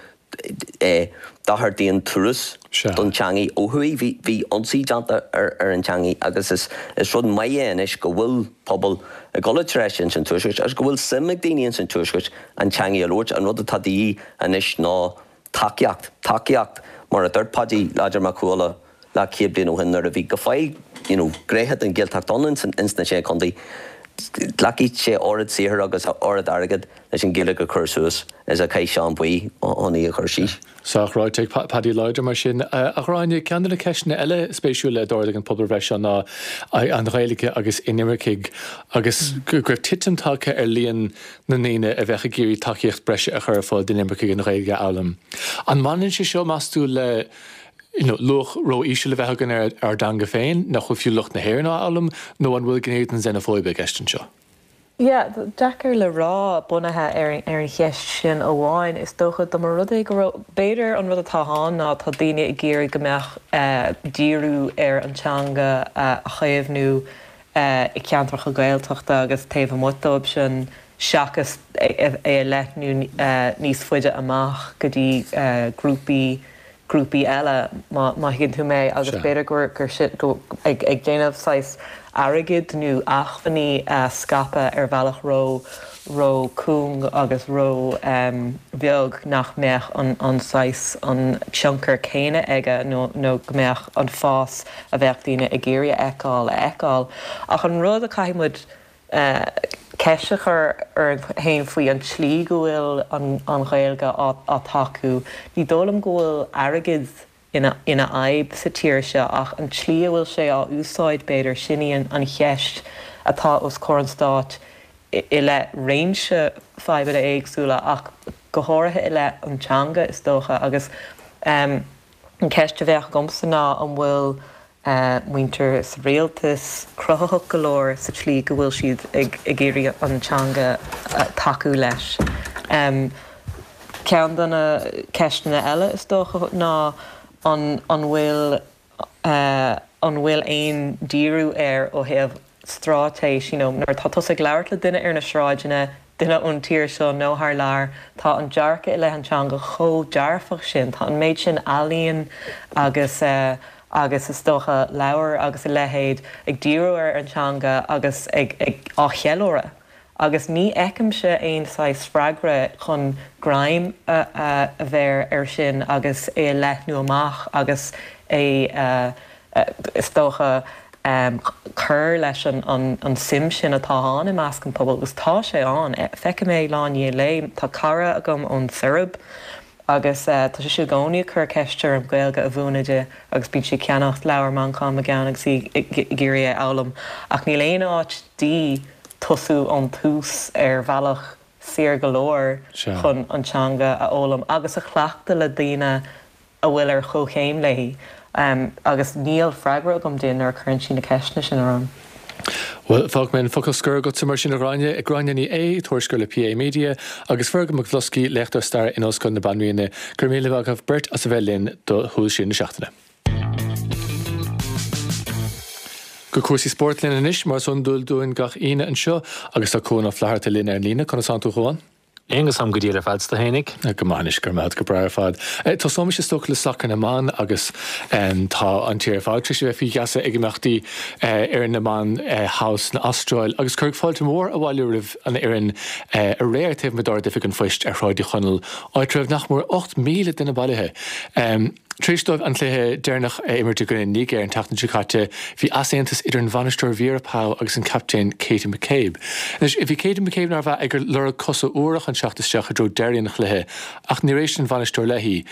dochar d'aon turas don teangaidh ó thuaidh. Bhí, bhí ionsaí déanta ar an teangaidh agus is, is rud maith é anois go bhfuil pobal ag dul i dtreis ins an Tuaisceart agus go bhfuil suim ag daoine ins an Tuaisceart an teangaidh a labhairt. An rud atá de dhíth anois ná tacaíocht, tacaíocht, mar a dúirt Paidí Láidir Mac Cú Uladh leathchéad bliain ó shin nuair a bhí go fóill, you know, gnéithe den Ghaeltacht ann ins ins na Sé Chontae, glacfaidh sé oiread saothair agus oiread airgid leis an Ghaeilge a chur suas is a chaith Seán Buí chun í a chur síos. Sách ráite ag Paddy Láidir mar sin. A Ghráinne, ceann de na ceisteanna eile spéisiúla a d'ardaigh an pobalbhreith seo ná an Ghaeilge agus inimircigh agus go raibh titim tagtha ar líon na ndaoine a bheadh ag iarraidh tacaíocht breise a chur ar fáil d'inimircigh an Ghaeilge a fhoghlaim. An mbaineann sé seo, meas tú, le you know luach ró-íseal a bheith againn ar ár dteanga féin, nach bhfuil fiú lucht na hÉireann á fhoghlaim, nó an bhfuil gné den xenophobia i gceist anseo? Yeah, deacair le rá bunaithe ar ar an cheist sin amháin. Is dócha dá mba rud é go raibh, b'fhéidir an rud atá ann ná tá daoine ag iarraidh go mbeadh díriú ar an teanga a chaomhnú i gceantracha Gaeltachta agus taobh amuigh dóibh sin seachas é a leathnú níos faide amach go dtí grúpaí grúpaí eile, má thuigeann tú mé, agus b'fhéidir gur sin, ag déanamh saghas. airgead nó acmhainní a scaipeadh ar bhealach ró ró cúng agus ró bheag nach mbeadh an an saghas an tionchar céanna aige nó nó go mbeadh an fás a bheadh daoine ag iarraidh a fheiceáil a fheiceáil. Ach an rud a caithfidh muid ceist a chur orainn féin faoi an tslí go bhfuil an Ghaeilge á tacú. Ní dóigh liom go bhfuil airgead ina fhadhb sa tír seo ach an tslí a bhfuil sé á úsáid, b'fhéidir, sin í an cheist atá os comhair an stáit i leith réimse fadhbanna éagsúla ach go háirithe i leith an teanga, is dócha. Agus an cheist a bheadh agamsa ná an bhfuil muintir sa rialtas cruthaitheach go leor sa tslí go bhfuil siad ag iarraidh an teanga tacú leis. Ceann de na ceisteanna eile is dócha ná an an bhfuil an bhfuil aon díriú air ó thaobh straitéis, you know, nuair atá tusa ag labhairt le duine ar na sráideanna, duine ón tír seo nó thar lear, tá an dearcadh i leith an teanga chomh dearfach sin, tá an méid sin ealaíon agus eh agus is dócha leabhair agus a leithéid ag díriú ar an teanga agus ag ag á cheiliúradh agus ní fheicimse aon saghas freagra chun greim a a bheir air sin agus é a leathnú amach agus é a is dócha, cur leis an suim sin atá ann i measc an phobail, agus tá sé ann. Feicim é lá i ndiaidh lae. Tá cara agam ón tSeirbia agus tá sise i gcónaí ag cur ceiste orm Gaeilge a mhúineadh di agus bíonn sí ag ceannacht leabhar Manchán Magan agus í ag iarraidh é a fhoghlaim. Ach níl aon áit di tosú ón tús ar bhealach saor go leor chun an teanga a fhoghlaim agus a chleachtadh le daoine a bhfuil ar chomhchéim léi agus níl freagra agam di nuair a chuireann sí na ceisteanna sin orm. Bhuel, fágfaidh mé an focal scoir agatsa mar sin, a Ghráinne. Gráinne Ní Aodha, tuairisceoir le PA Media, agus Fergal McBhlusky, léachtóir staire in Ollscoil na Banríona. Go raibh míle maith agaibh beirt as a bheith linn do Shúil Siar na Seachtaine. Go cúrsaí spóirt linn anois, mar is iondúil dúinn gach Aoine anseo, agus tá Cuan Ó Flatharta linn ar an líne. Conas tánn tú, a Chuain? Aonghus, Táim go diail ar fad, 's tú fhéinig? Go maith anois, go raibh maith agat, go breá ar fad. Tosóimis is dócha le sacar na mban agus tá an tír ar fad tar éis a bheith faoi gheasa ag imeachtaí fhoireann na mban thall san Astráil agus cuireadh fáilte mhór abhaile roimh an fhoireann aréir taobh amuigh d'Ard-Oifig an Phoist ar Shráid Uí Chonaill, áit a raibh nach mór 8,000 duine bailithe. Tar éis dóibh an cluiche deireanach a imirt i gcoinne Nigéir an tseachtain seo caite, bhí easaontas idir an bhainisteoir Vera Pauw agus an captaen Katie McCabe. Anois, bhí Katie McCabe, nárbh ea, ag lorg cosa úra chun teacht isteach i dtreo deiridh an chluiche, ach níor éist an bhainisteoir léi.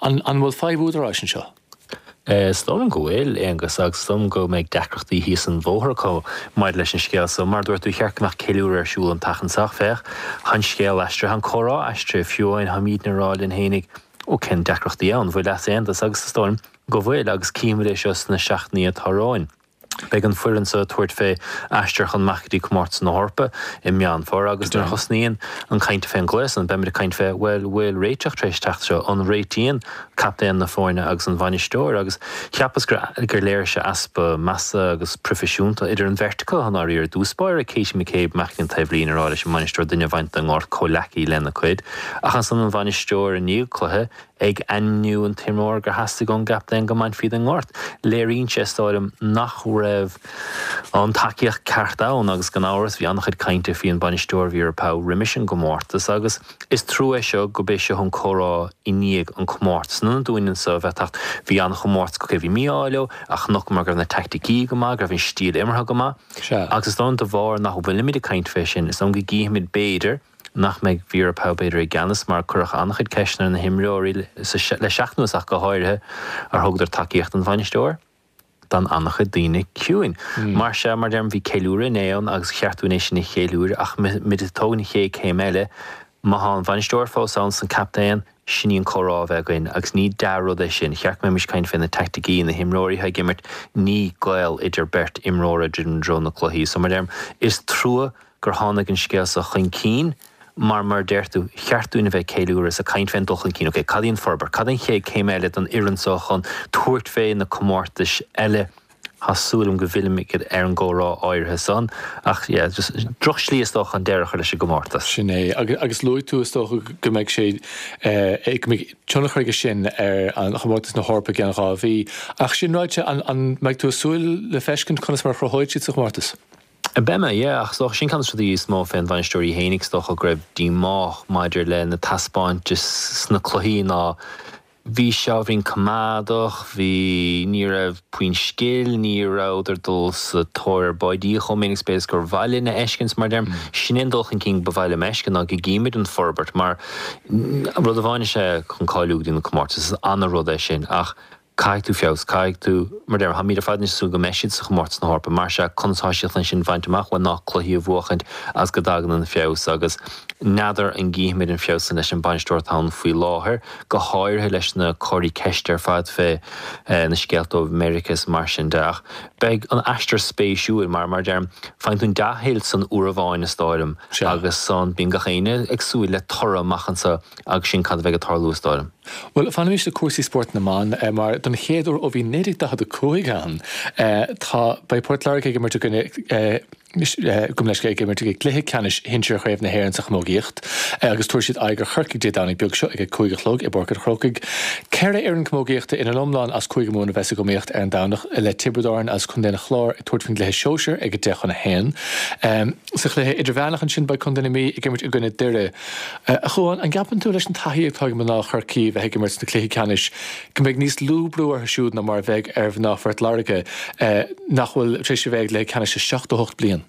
An an bhfuil fadhb údaráis anseo? Is dóigh liom go bhfuil, Aonghus, agus is dóigh liom go mbeidh deacrachtaí thíos an bhóthar acu maidir leis an scéal so. Mar a dúirt tú, cheart go mbeadh ceiliúradh ar siúl an tseachtain seo ach féach, tá an scéal aistrithe, an comhrá aistrithe, fiú amháin táimidne ag rá linn fhéinig, Ó cén deacrachtaí ann? Bhfuil easaontas? Agus is dóigh liom go bhfuil, agus cífimid é seo sna seachtainí atá romhainn. Beidh an foireann seo ag tabhairt fé aistear chun amach go dtí Comórtas na hEorpa i Meán Fómhair agus nuair a thosnaíonn an caint fén gcluiche san, beimid ag caint fé, bhuel, bhfuil réiteach tar éis teacht seo? An réitíonn captaen na foirne agus an bhainisteoir? Agus cheapas gur gur léirigh sé easpa measa agus proifisiúnta idir an bheirt acu, i ndáiríre. I dtús báire, Katie McCabe amach an taobhlíne ag rá leis an mbainisteoir duine a bhaint den ngort, comhleacaí lena cuid. Ach ansan an bhainisteoir i ndiaidh cluiche ag ainmniú an t-imreoir gur theastaigh ón gcaptaen go mbainfí den ngort. Léiríonn sé, is dóigh liom, nach raibh an tacaíocht ceart ann agus gan amhras bhí an-chuid cainte faoi an bainisteoir Vera Pauw roimis an gcomórtas agus is trua é seo go b'é seo an comhrá i ndiaidh an comórtas. In ionad dúinn anso a bheith ag teacht, bhí an-chomórtas acu, bhí mí-ádh leo ach chonaiceamar go raibh na teaicticí go maith, go raibh an stíl imeartha go maith agus is dóigh liom de bharr nach bhfuilimid ag caint fé sin, is dóigh liom go gcífimid b'fhéidir, nach mbeidh Vera Pauw b'fhéidir i gceannas mar cuireadh an-chuid ceisteanna ar na himreoirí le seachtain anuas ach go háirithe ar thugadar tacaíocht don bhainisteoir. D'fhan an-chuid daoine ciúin. Mar sea, mar deirim, bhí ceiliúradh inné ann agus cheart dúinn é sin a cheiliúradh ach muid ag tógaint an chéad céim eile, má thá an bhainisteoir fós ann 's an captaen, sin í an comhrá a bheith againn agus ní dea-rud é sin. Cheart go mbeimis ag caint fé na teaicticí, na himreoirí atá ag imirt, ní gaol idir beirt imreora i dtreo na cluichí. So mar deirim, is trua gur tháinig an scéal seo chun cinn mar, mar a deir tú, cheart dúinn a bheith ag ceiliúradh is ag caint fén dul chun cinn. Ok, cad í an forbairt? Cad é an chéad céim eile don fhoireann seo chun tabhairt fé na comórtais eile? Tá súil agam go bhfillfimid ar an gcomhrá áirithe san. Ach yeah, just drochshlí is dócha chun deireadh a chur leis an gcomórtas. Sin é. Agus luaigh tú is dócha go mbeidh sé, go mbeidh tionchar aige sin ar an chomórtas na hEorpa i gceann 2 mhí. Ach sin ráite, an mbeidh tú ag súil le feiscint conas mar a chruthóidh siad sa chomórtas? Beidh mé, yeah, ach is dócha sin ceann de na rudaí is mó fén bhainisteoir í fhéinig, is dócha go raibh díomách maidir le na taispeántais sna cluichí ná bhí sé ábhairín coimeádach, bhí, ní raibh puinn scil, ní rabhadar dul sa tóir ar báidí chomh minic is b'fhéidir is gur mhaith linn a fheiscint, mar deirim, sin é an dul chun cinn ba mhaith liom a fheiscint ná go gcímid an forbairt mar rud amháin is ea chun cáiliú go dtí na comórtais, is ana-rud é sin ach Caithfidh tú feabhas, caithfidh tú, mar deirim, táimid ar fad anois ag súil go mbeidh siad sa chomórtas na hEorpa, mar sea, conas atá siad chun sin a bhaint amach? Bhuel, ná cluichí a bhuachaint agus go dtagann an feabhas agus n'fheadar an gcífimid an feabhas san leis an bainisteoir atá ann faoi láthair, go háirithe leis na comharthaí ceiste ar fad fé na scéalta ó Mheiriceá is mar sin de. Ach beidh an aistear spéisiúil mar, mar deirim, faigheann tú an dea-thuill san uair amháin is dóigh liom agus san bíonn gach éinne ag súil le toradh amach anso agus sin cad a bheidh ag tarlú is dóigh liom. Bhuel, fanaimis le cúrsaí spóirt na mban, mar don chéad uair ó bhí 1945 ann, tá, beidh Port Láirge ag imirt i gcoinne, gabh mo leithscéal, ag imirt i gcluiche ceannais shinsir Chraobh na hÉireann sa chamógaíocht agus tabharfaidh siad aghaidh ar Chorcaigh Dé Domhnaigh beag seo ag a 5 a chlog i bPáirc an Chrócaigh. Ceithre fhoireann camógaíochta ina n-iomlán as Cúige Mumhan a bheas ag iomaíocht ar an Domhnach, le Tiobraid Árann agus Contae an Chláir ag tabhairt faoin gcluiche sóisir ag 10 chun 1. Sa chluiche idirmheánach ansin beidh Contae na Mí ag imirt i gcoinne Doire. A Chuáin, an gceapann tú, leis an taithí atá ag mná Chorcaí bheith ag imirt sna cluichí ceannais, go mbeidh níos lú brú orthu siúd ná mar a bheidh ar mhná Phort Láirge, nach bhfuil tar éis a bheith ag cluiche ceannais le 78 bliain?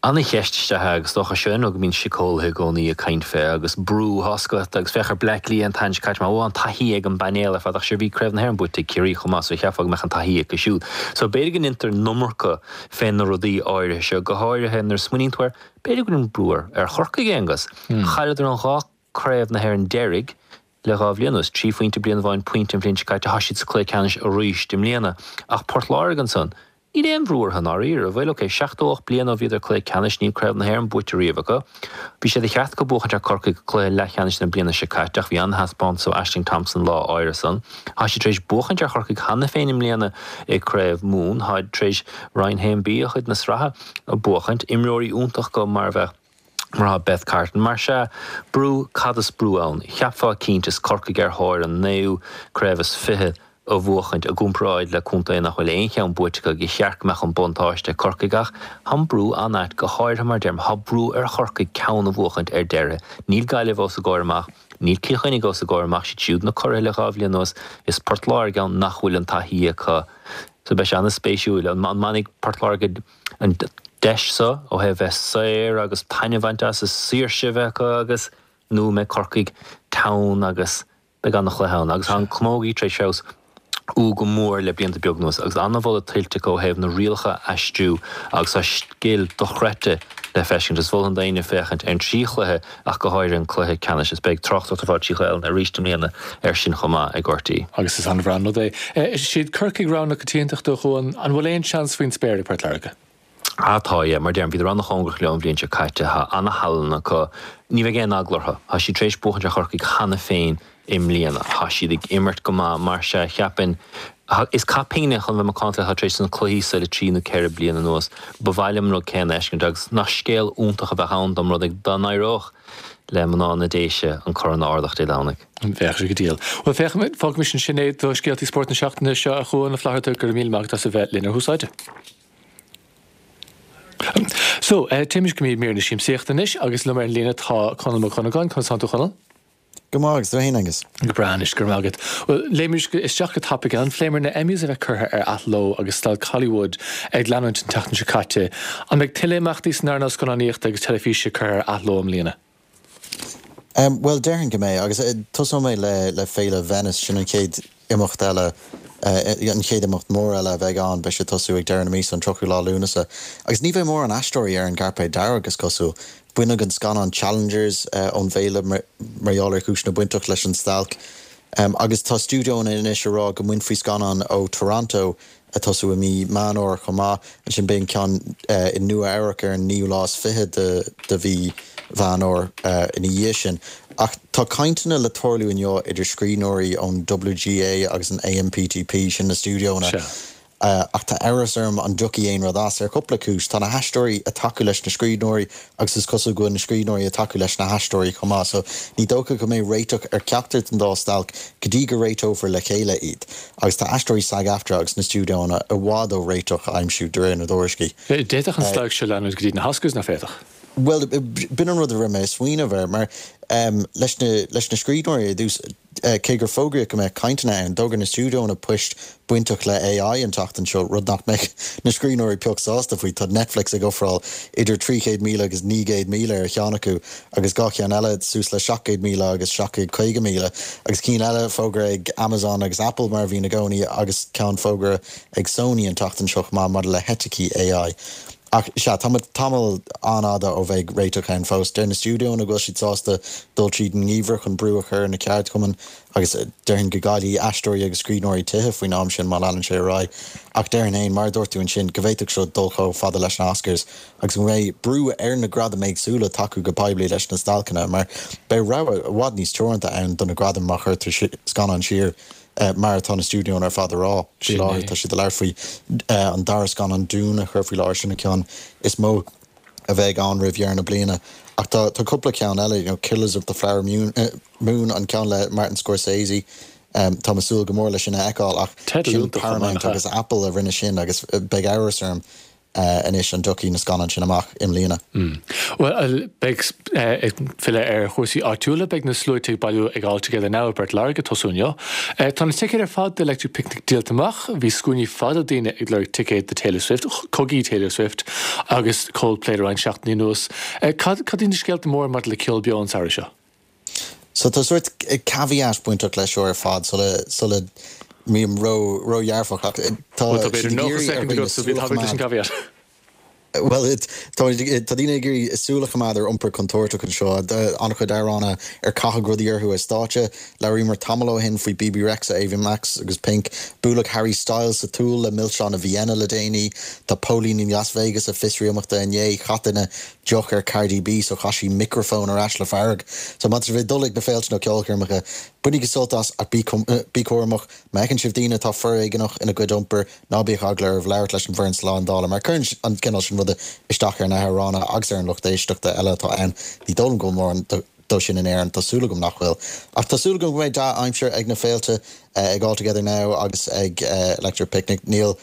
Ana-cheist is ea é agus is dócha seo an rud go mbíonn síceolaithe i gcónaí ag caint fé agus brú tá a fhios agat agus féach ar Bleá Cliath an tseachtain seo caite mar bhí an taithí ag an bpainéal ar fad ach sure bhí Craobh na hÉireann buaite ag Ciarraí chomh maith so cheapfá go mbeadh an taithí acu siúd. So b'fhéidir go ndeintear an iomarca fé na rudaí áirithe seo, go háirithe nuair a smaoiníonn tú air B'fhéidir go bhfuil an brú ar Chorcaigh, Aonghus. Chailleadar an 2 Craobh na hÉireann deiridh le 2 bhliain anuas, 3 phointe bliain amháin, pointe an bhliain seo caite. Tá siad sa cluiche ceannais arís i mbliana. Ach Port Láirge ansan, níl aon bhrú orthu i ndáiríre, an bhfuil? Ok, 78 bliain ó bhíodar cluiche ceannais, níl Craobh na hÉireann buaite riamh acu. Bhí sé de cheart acu buachaint ar Corcaigh cluiche leathcheannais na bliana seo caite ach bhí an-thaispeántas ó Ashling Thompson lá áirithe san. Tá siad tar éis buachaint ar Chorcaigh cheana féin i mbliana i Craobh Mumhan. Táid tar éis Roinn 1B a chuid na sraithe. a buachaint, imreoirí iontach acu mar a bheadh mar atá Beth Carton. Mar sea, brú, cad is brú ann? Cheapfá cinnte is Corcaigh ar thóir an naoú craobh is fiche a bhuachaint i gcomparáid le contae nach bhfuil aon cheann buaite acu gur cheart go mbeadh an buntáiste ag Corcaigh ach tá an brú an-ait go háirithe mar deirim tá brú ar Chorcaigh ceann a bhuachaint ar deireadh. Níl Gaillimh os a gcomhair amach, níl Cill Chainnigh os a gcomhair amach, siad siúd na curaithe le 2 bhliain anuas, is Port Láirge ann nach bhfuil an taithí acu. So beidh sé an-spéisiúil. An mbainfidh Port Láirge an deis seo ó thaobh bheith saor agus taitneamh a bhaint as, is saoirse a bheith acu agus nó an mbeidh Corcaigh teann agus beidh an-chluiche ann. Agus tá an camógaí tar éis feabhas ú go mór le blianta beaga anuas agus an-mholadh tuillte acu ó thaobh na rialacha a aistriú agus tá scil dochreidte le feiscint. Is mholfainn d'éinne féachaint ar an trí chluiche ach go háirithe an cluiche ceannais. Is beidh tráchtaireacht ar fáil trí Ghaelainn arís i mbliana air sin chomh maith ag RTÉ. Agus is an-bhreá an rud é. Is iad Corcaigh rogha na coitiantachta, a Chuáin. An bhfuil aon seans faoin spéir ag Port Láirge? Ah tá, yeah. Mar deirim, bhíodar an-chóngarach leo an bhliain seo caite. Tá an-thallann acu. Ní bheidh aon eagla orthu. Tá siad tar éis buachaint ar Chorcaigh cheana féin i mbliana. Tá siad ag imirt go maith, mar sea, cheapfainn. Is cath pingne chun bheith macánta atá tar éis na cluichí seo le trí nó ceithre bliana anuas. Ba mhaith liom an rud céanna a fheiscint agus nach scéal iontach a bheadh ann dá mba rud é dá n-éireodh le mná na Déise an corn a ardach Dé Domhnaigh. Bheadh sé go diail. Bhuel, féachaimis, fágaimis ansin é do scéaltaí spóirt na seachtaine seo, a Chuáin Uí Fhlatharta, go raibh míle maith agat as a bheith linn ar Thús Áite. So, téimis go mír na siamsaíochta anois agus liom ar an líne tá Conall Mac Dhonnagáin. Conas tánn tú, a Chonaill? Go maith, agus tú fhéin, Angus? Go breá anois, go raibh maith agat. Bhuel, léimimis isteach go tapaidh ann. Phléamar na Emmys a bheith curtha ar athló agus stailc Hollywood ag leanúint an tseachtain seo caite. An mbeidh tuilleadh imeachtaí san earnáil scannánaíochta agus teilifíse curtha ar athló i mbliana? Bhuel, déarfainn go mbeidh, agus tosóidh mé le Féile Venice, sin an chéad imeacht eile, an chéad imeacht mór eile a bheidh ann, beidh sé ag tosú ag deireadh na míosa, an 30ú lá Lúnasa, agus ní bheidh mórán aisteoirí ar an gcairpéad dearg, is cosúil. Baineadh an scannán Challengers ón bhféile mar gheall ar chúiseanna bainteach leis an stailc, agus tá stiúideonna anois ag rá go mbainfí scannán ó Toronto ag tosú i mí Meán Fhómhair chomh maith. Ansin beidh an ceann i Nua Eabhrac ar an naoú lá is fiche de mhí Mheán Fhómhair ina dhiaidh sin. Ach tá cainteanna le tarlú inniu idir scríbhneoirí ón WGA agus an AMPTP, sin na stiúideonna. Ach tá amhras orm an dtiocfaidh aon rud as, ar chúpla cúis. Tá na haisteoirí ag tacú leis na scríbhneoirí agus is cosúil go bhfuil na scríbhneoirí ag tacú leis na haisteoirí chomh maith, so ní dócha go mbeidh réiteach ar cheachtar den dá stailc go dtí go réiteofar le chéile iad. Agus tá aisteoirí SAG-AFTRA agus na stiúideonna i bhfad ó réiteach a aimsiú, de réir na dtuairiscí. D'fhéadfadh an stailc seo leanúint go dtí na hOscars, nach bhféadfadh? Bhuel, b'in an rud a raibh mé ag smaoineamh air, mar leis na leis na scríbhneoirí ar dtús, Cé gur fógraíodh go mbeadh cainteanna ann, d'fhógair na stiúideonna poist bainteach le AI an tseachtain seo, rud nach mbeidh na scríbhneoirí pioc sásta faoi. Tá Netflix ag ofráil idir 300,000 agus 900,000 ar cheann acu agus 2 cheann eile suas le 700,000 agus 750,000 agus cinn eile fógartha ag Amazon agus Apple mar a bhíonn i gcónaí agus ceann fógartha ag Sony an tseachtain seo chomh maith maidir le heiticí AI. Ach sea, tá muid tamall an-fhada ó bheidh réiteach ann fós. Deir na stiúideonna go bhfuil siad sásta dul tríd an ngeimhreadh chun brú a chur ar na ceardchumainn agus déarfainn go gcaillfidh aisteoirí agus scríbhneoirí tithe faoin am sin má leanann sé ar aghaidh. Ach déarfainn féin, mar a dúirt tú ansin, go bhféadfadh seo dul chomh fada leis na Oscars agus go mbeidh brú ar na gradaim éagsúla tacú go poiblí leis na stailceanna mar beidh rogha i bhfad níos teoranta ann do na gradaim má chuirtear scannáin siar Mar atá na stiúideonna ar fad a rá faoi láthair, tá siad ag labhairt faoi an dara scannán Dune a chur faoi láthair, sin an ceann is mó a bheidh ann roimh dheireadh na bliana. Ach tá cúpla ceann eile, you know, Killers of the Flower Moon, an ceann le Martin Scorsese, táim ag súil go mór leis sin a fheiceáil ach sin Paramount agus Apple a rinne sin agus beidh amhras orm anois an dtiocfaidh na scannáin sin amach i mbliana. Bhuel, beidh, ag filleadh ar chúrsaí áitiúla, beidh na sluaite ag bailiú ag All Together Now i bPort Láirge ag tosú inniu. Tá na ticéid ar fad d'Electric Picnic díolta amach. Bhí scuainí fada daoine ag lorg ticéad do Taylor Swift, cogaí Taylor Swift agus Coldplay le roinnt seachtainí anuas. Cad, cad iad na scéalta móra maidir le ceol beo an samhradh seo? So tá sórt caveat bainteach leis seo ar fad sula, sula mbím ró, ródhearfach ach tá Bhuel tá b'fhéidir siad ag 90 iarraidh ar soicind dhaoine agat so bí súil a tapaidh leis an choimeád. caveat. Bhuel tá, tá daoine ag iarraidh súil a choimeád ar iompar contúirteach anseo. An-chuid amhránaithe ar caitheadh rudaí orthu ar stáitse. Labhraíomar tamall ó shin faoi Bebe Rexha, Ava Max agus Pink. Buaileadh Harry Styles sa tsúil le milseáin i Vienna le déanaí. Tá póilíní Las Vegas ag fiosrú imeachta inné. Chaith duine deoch ar Cardi B so chaith sí micreafón ar ais le fearg. So má tá sibh ag dul ag na féilte nó ceolchoirmeacha, bainigí sult as ach bí bí cúramach. Má fheiceann sibh daoine atá foréigeanach ina gcuid iompair, ná bíodh eagla oraibh labhairt leis an bhfoireann slándála mar cuireann an cineál sin ruda isteach ar na hamhránaithe agus ar an lucht éisteachta eile atá ann. Ní dóigh liom go bhfuil mórán dó sin in Éirinn, tá súil agam nach bhfuil. Ach tá súil agam go mbeidh dea-aimsir ag na féilte, ag All Together Now agus ag Electric Picnic. Níl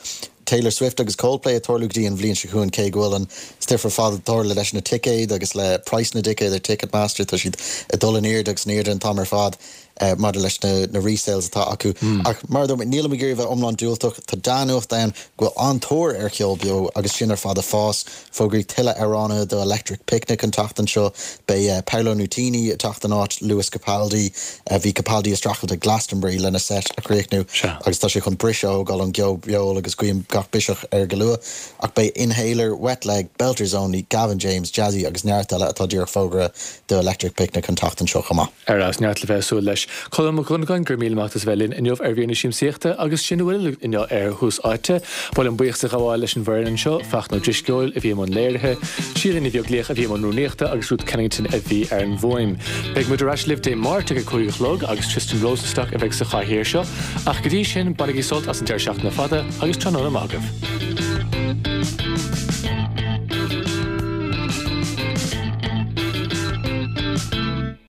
Taylor Swift agus Coldplay ag tarlú go dtí an bhliain seo chugainn cé go bhfuil an stuif ar fad ag tarlú leis na ticéid agus le praghas na dticéad ar Ticketmaster, tá siad ag dul in airde agus in airde an t-am ar fad. maidir leis na resales atá acu. Ach mar a dúirt mé, nílim ag iarraidh a bheith iomlán diúltach. Tá dea-nuacht ann go bhfuil an-tóir ar cheol beo agus sin ar fad ag fás. Fógraíodh tuilleadh amhránaithe do Electric Picnic an tseachtain seo. Beidh Paolo Nutini ag teacht in áit Lewis Capaldi. Bhí Capaldi ag streachailt ag Glastonbury lena seit a chríochnú agus tá sé chun briseadh a thógáil ón gceol beo agus guím gach biseach air go luath. Ach beidh Inhaler, Wet Leg, Belters Only, Gavin James, Jazzy agus neart eile atá díreach fógartha do Electric Picnic an tseachtain seo chomh maith. Ar fheabhas, neart le bheith ag súil leis. Colm Mac Dhonnagáin, go raibh míle maith agat as a bheith linn inniu ar mhír na siamsaíochta agus sin a bhfuil inniu ar Thús Áite. Ba mhaith liom buíochas a ghabháil leis an bhfoireann anseo, Fachtna Ó Drisceoil a bhí i mbun léirithe, Síle Ní Bheaglaoich a bhí i mbun rúnaíochta agus Ruth Kennington a bhí ar an bhfuaim. Beidh muid ar ais libh Dé Máirt ag a 5 a chlog agus Tristan Rosenstock a bheidh sa chathaoir seo. Ach go dtí sin, bainigí sult as an deireadh seachtaine fada agus tráthnóna maith agaibh.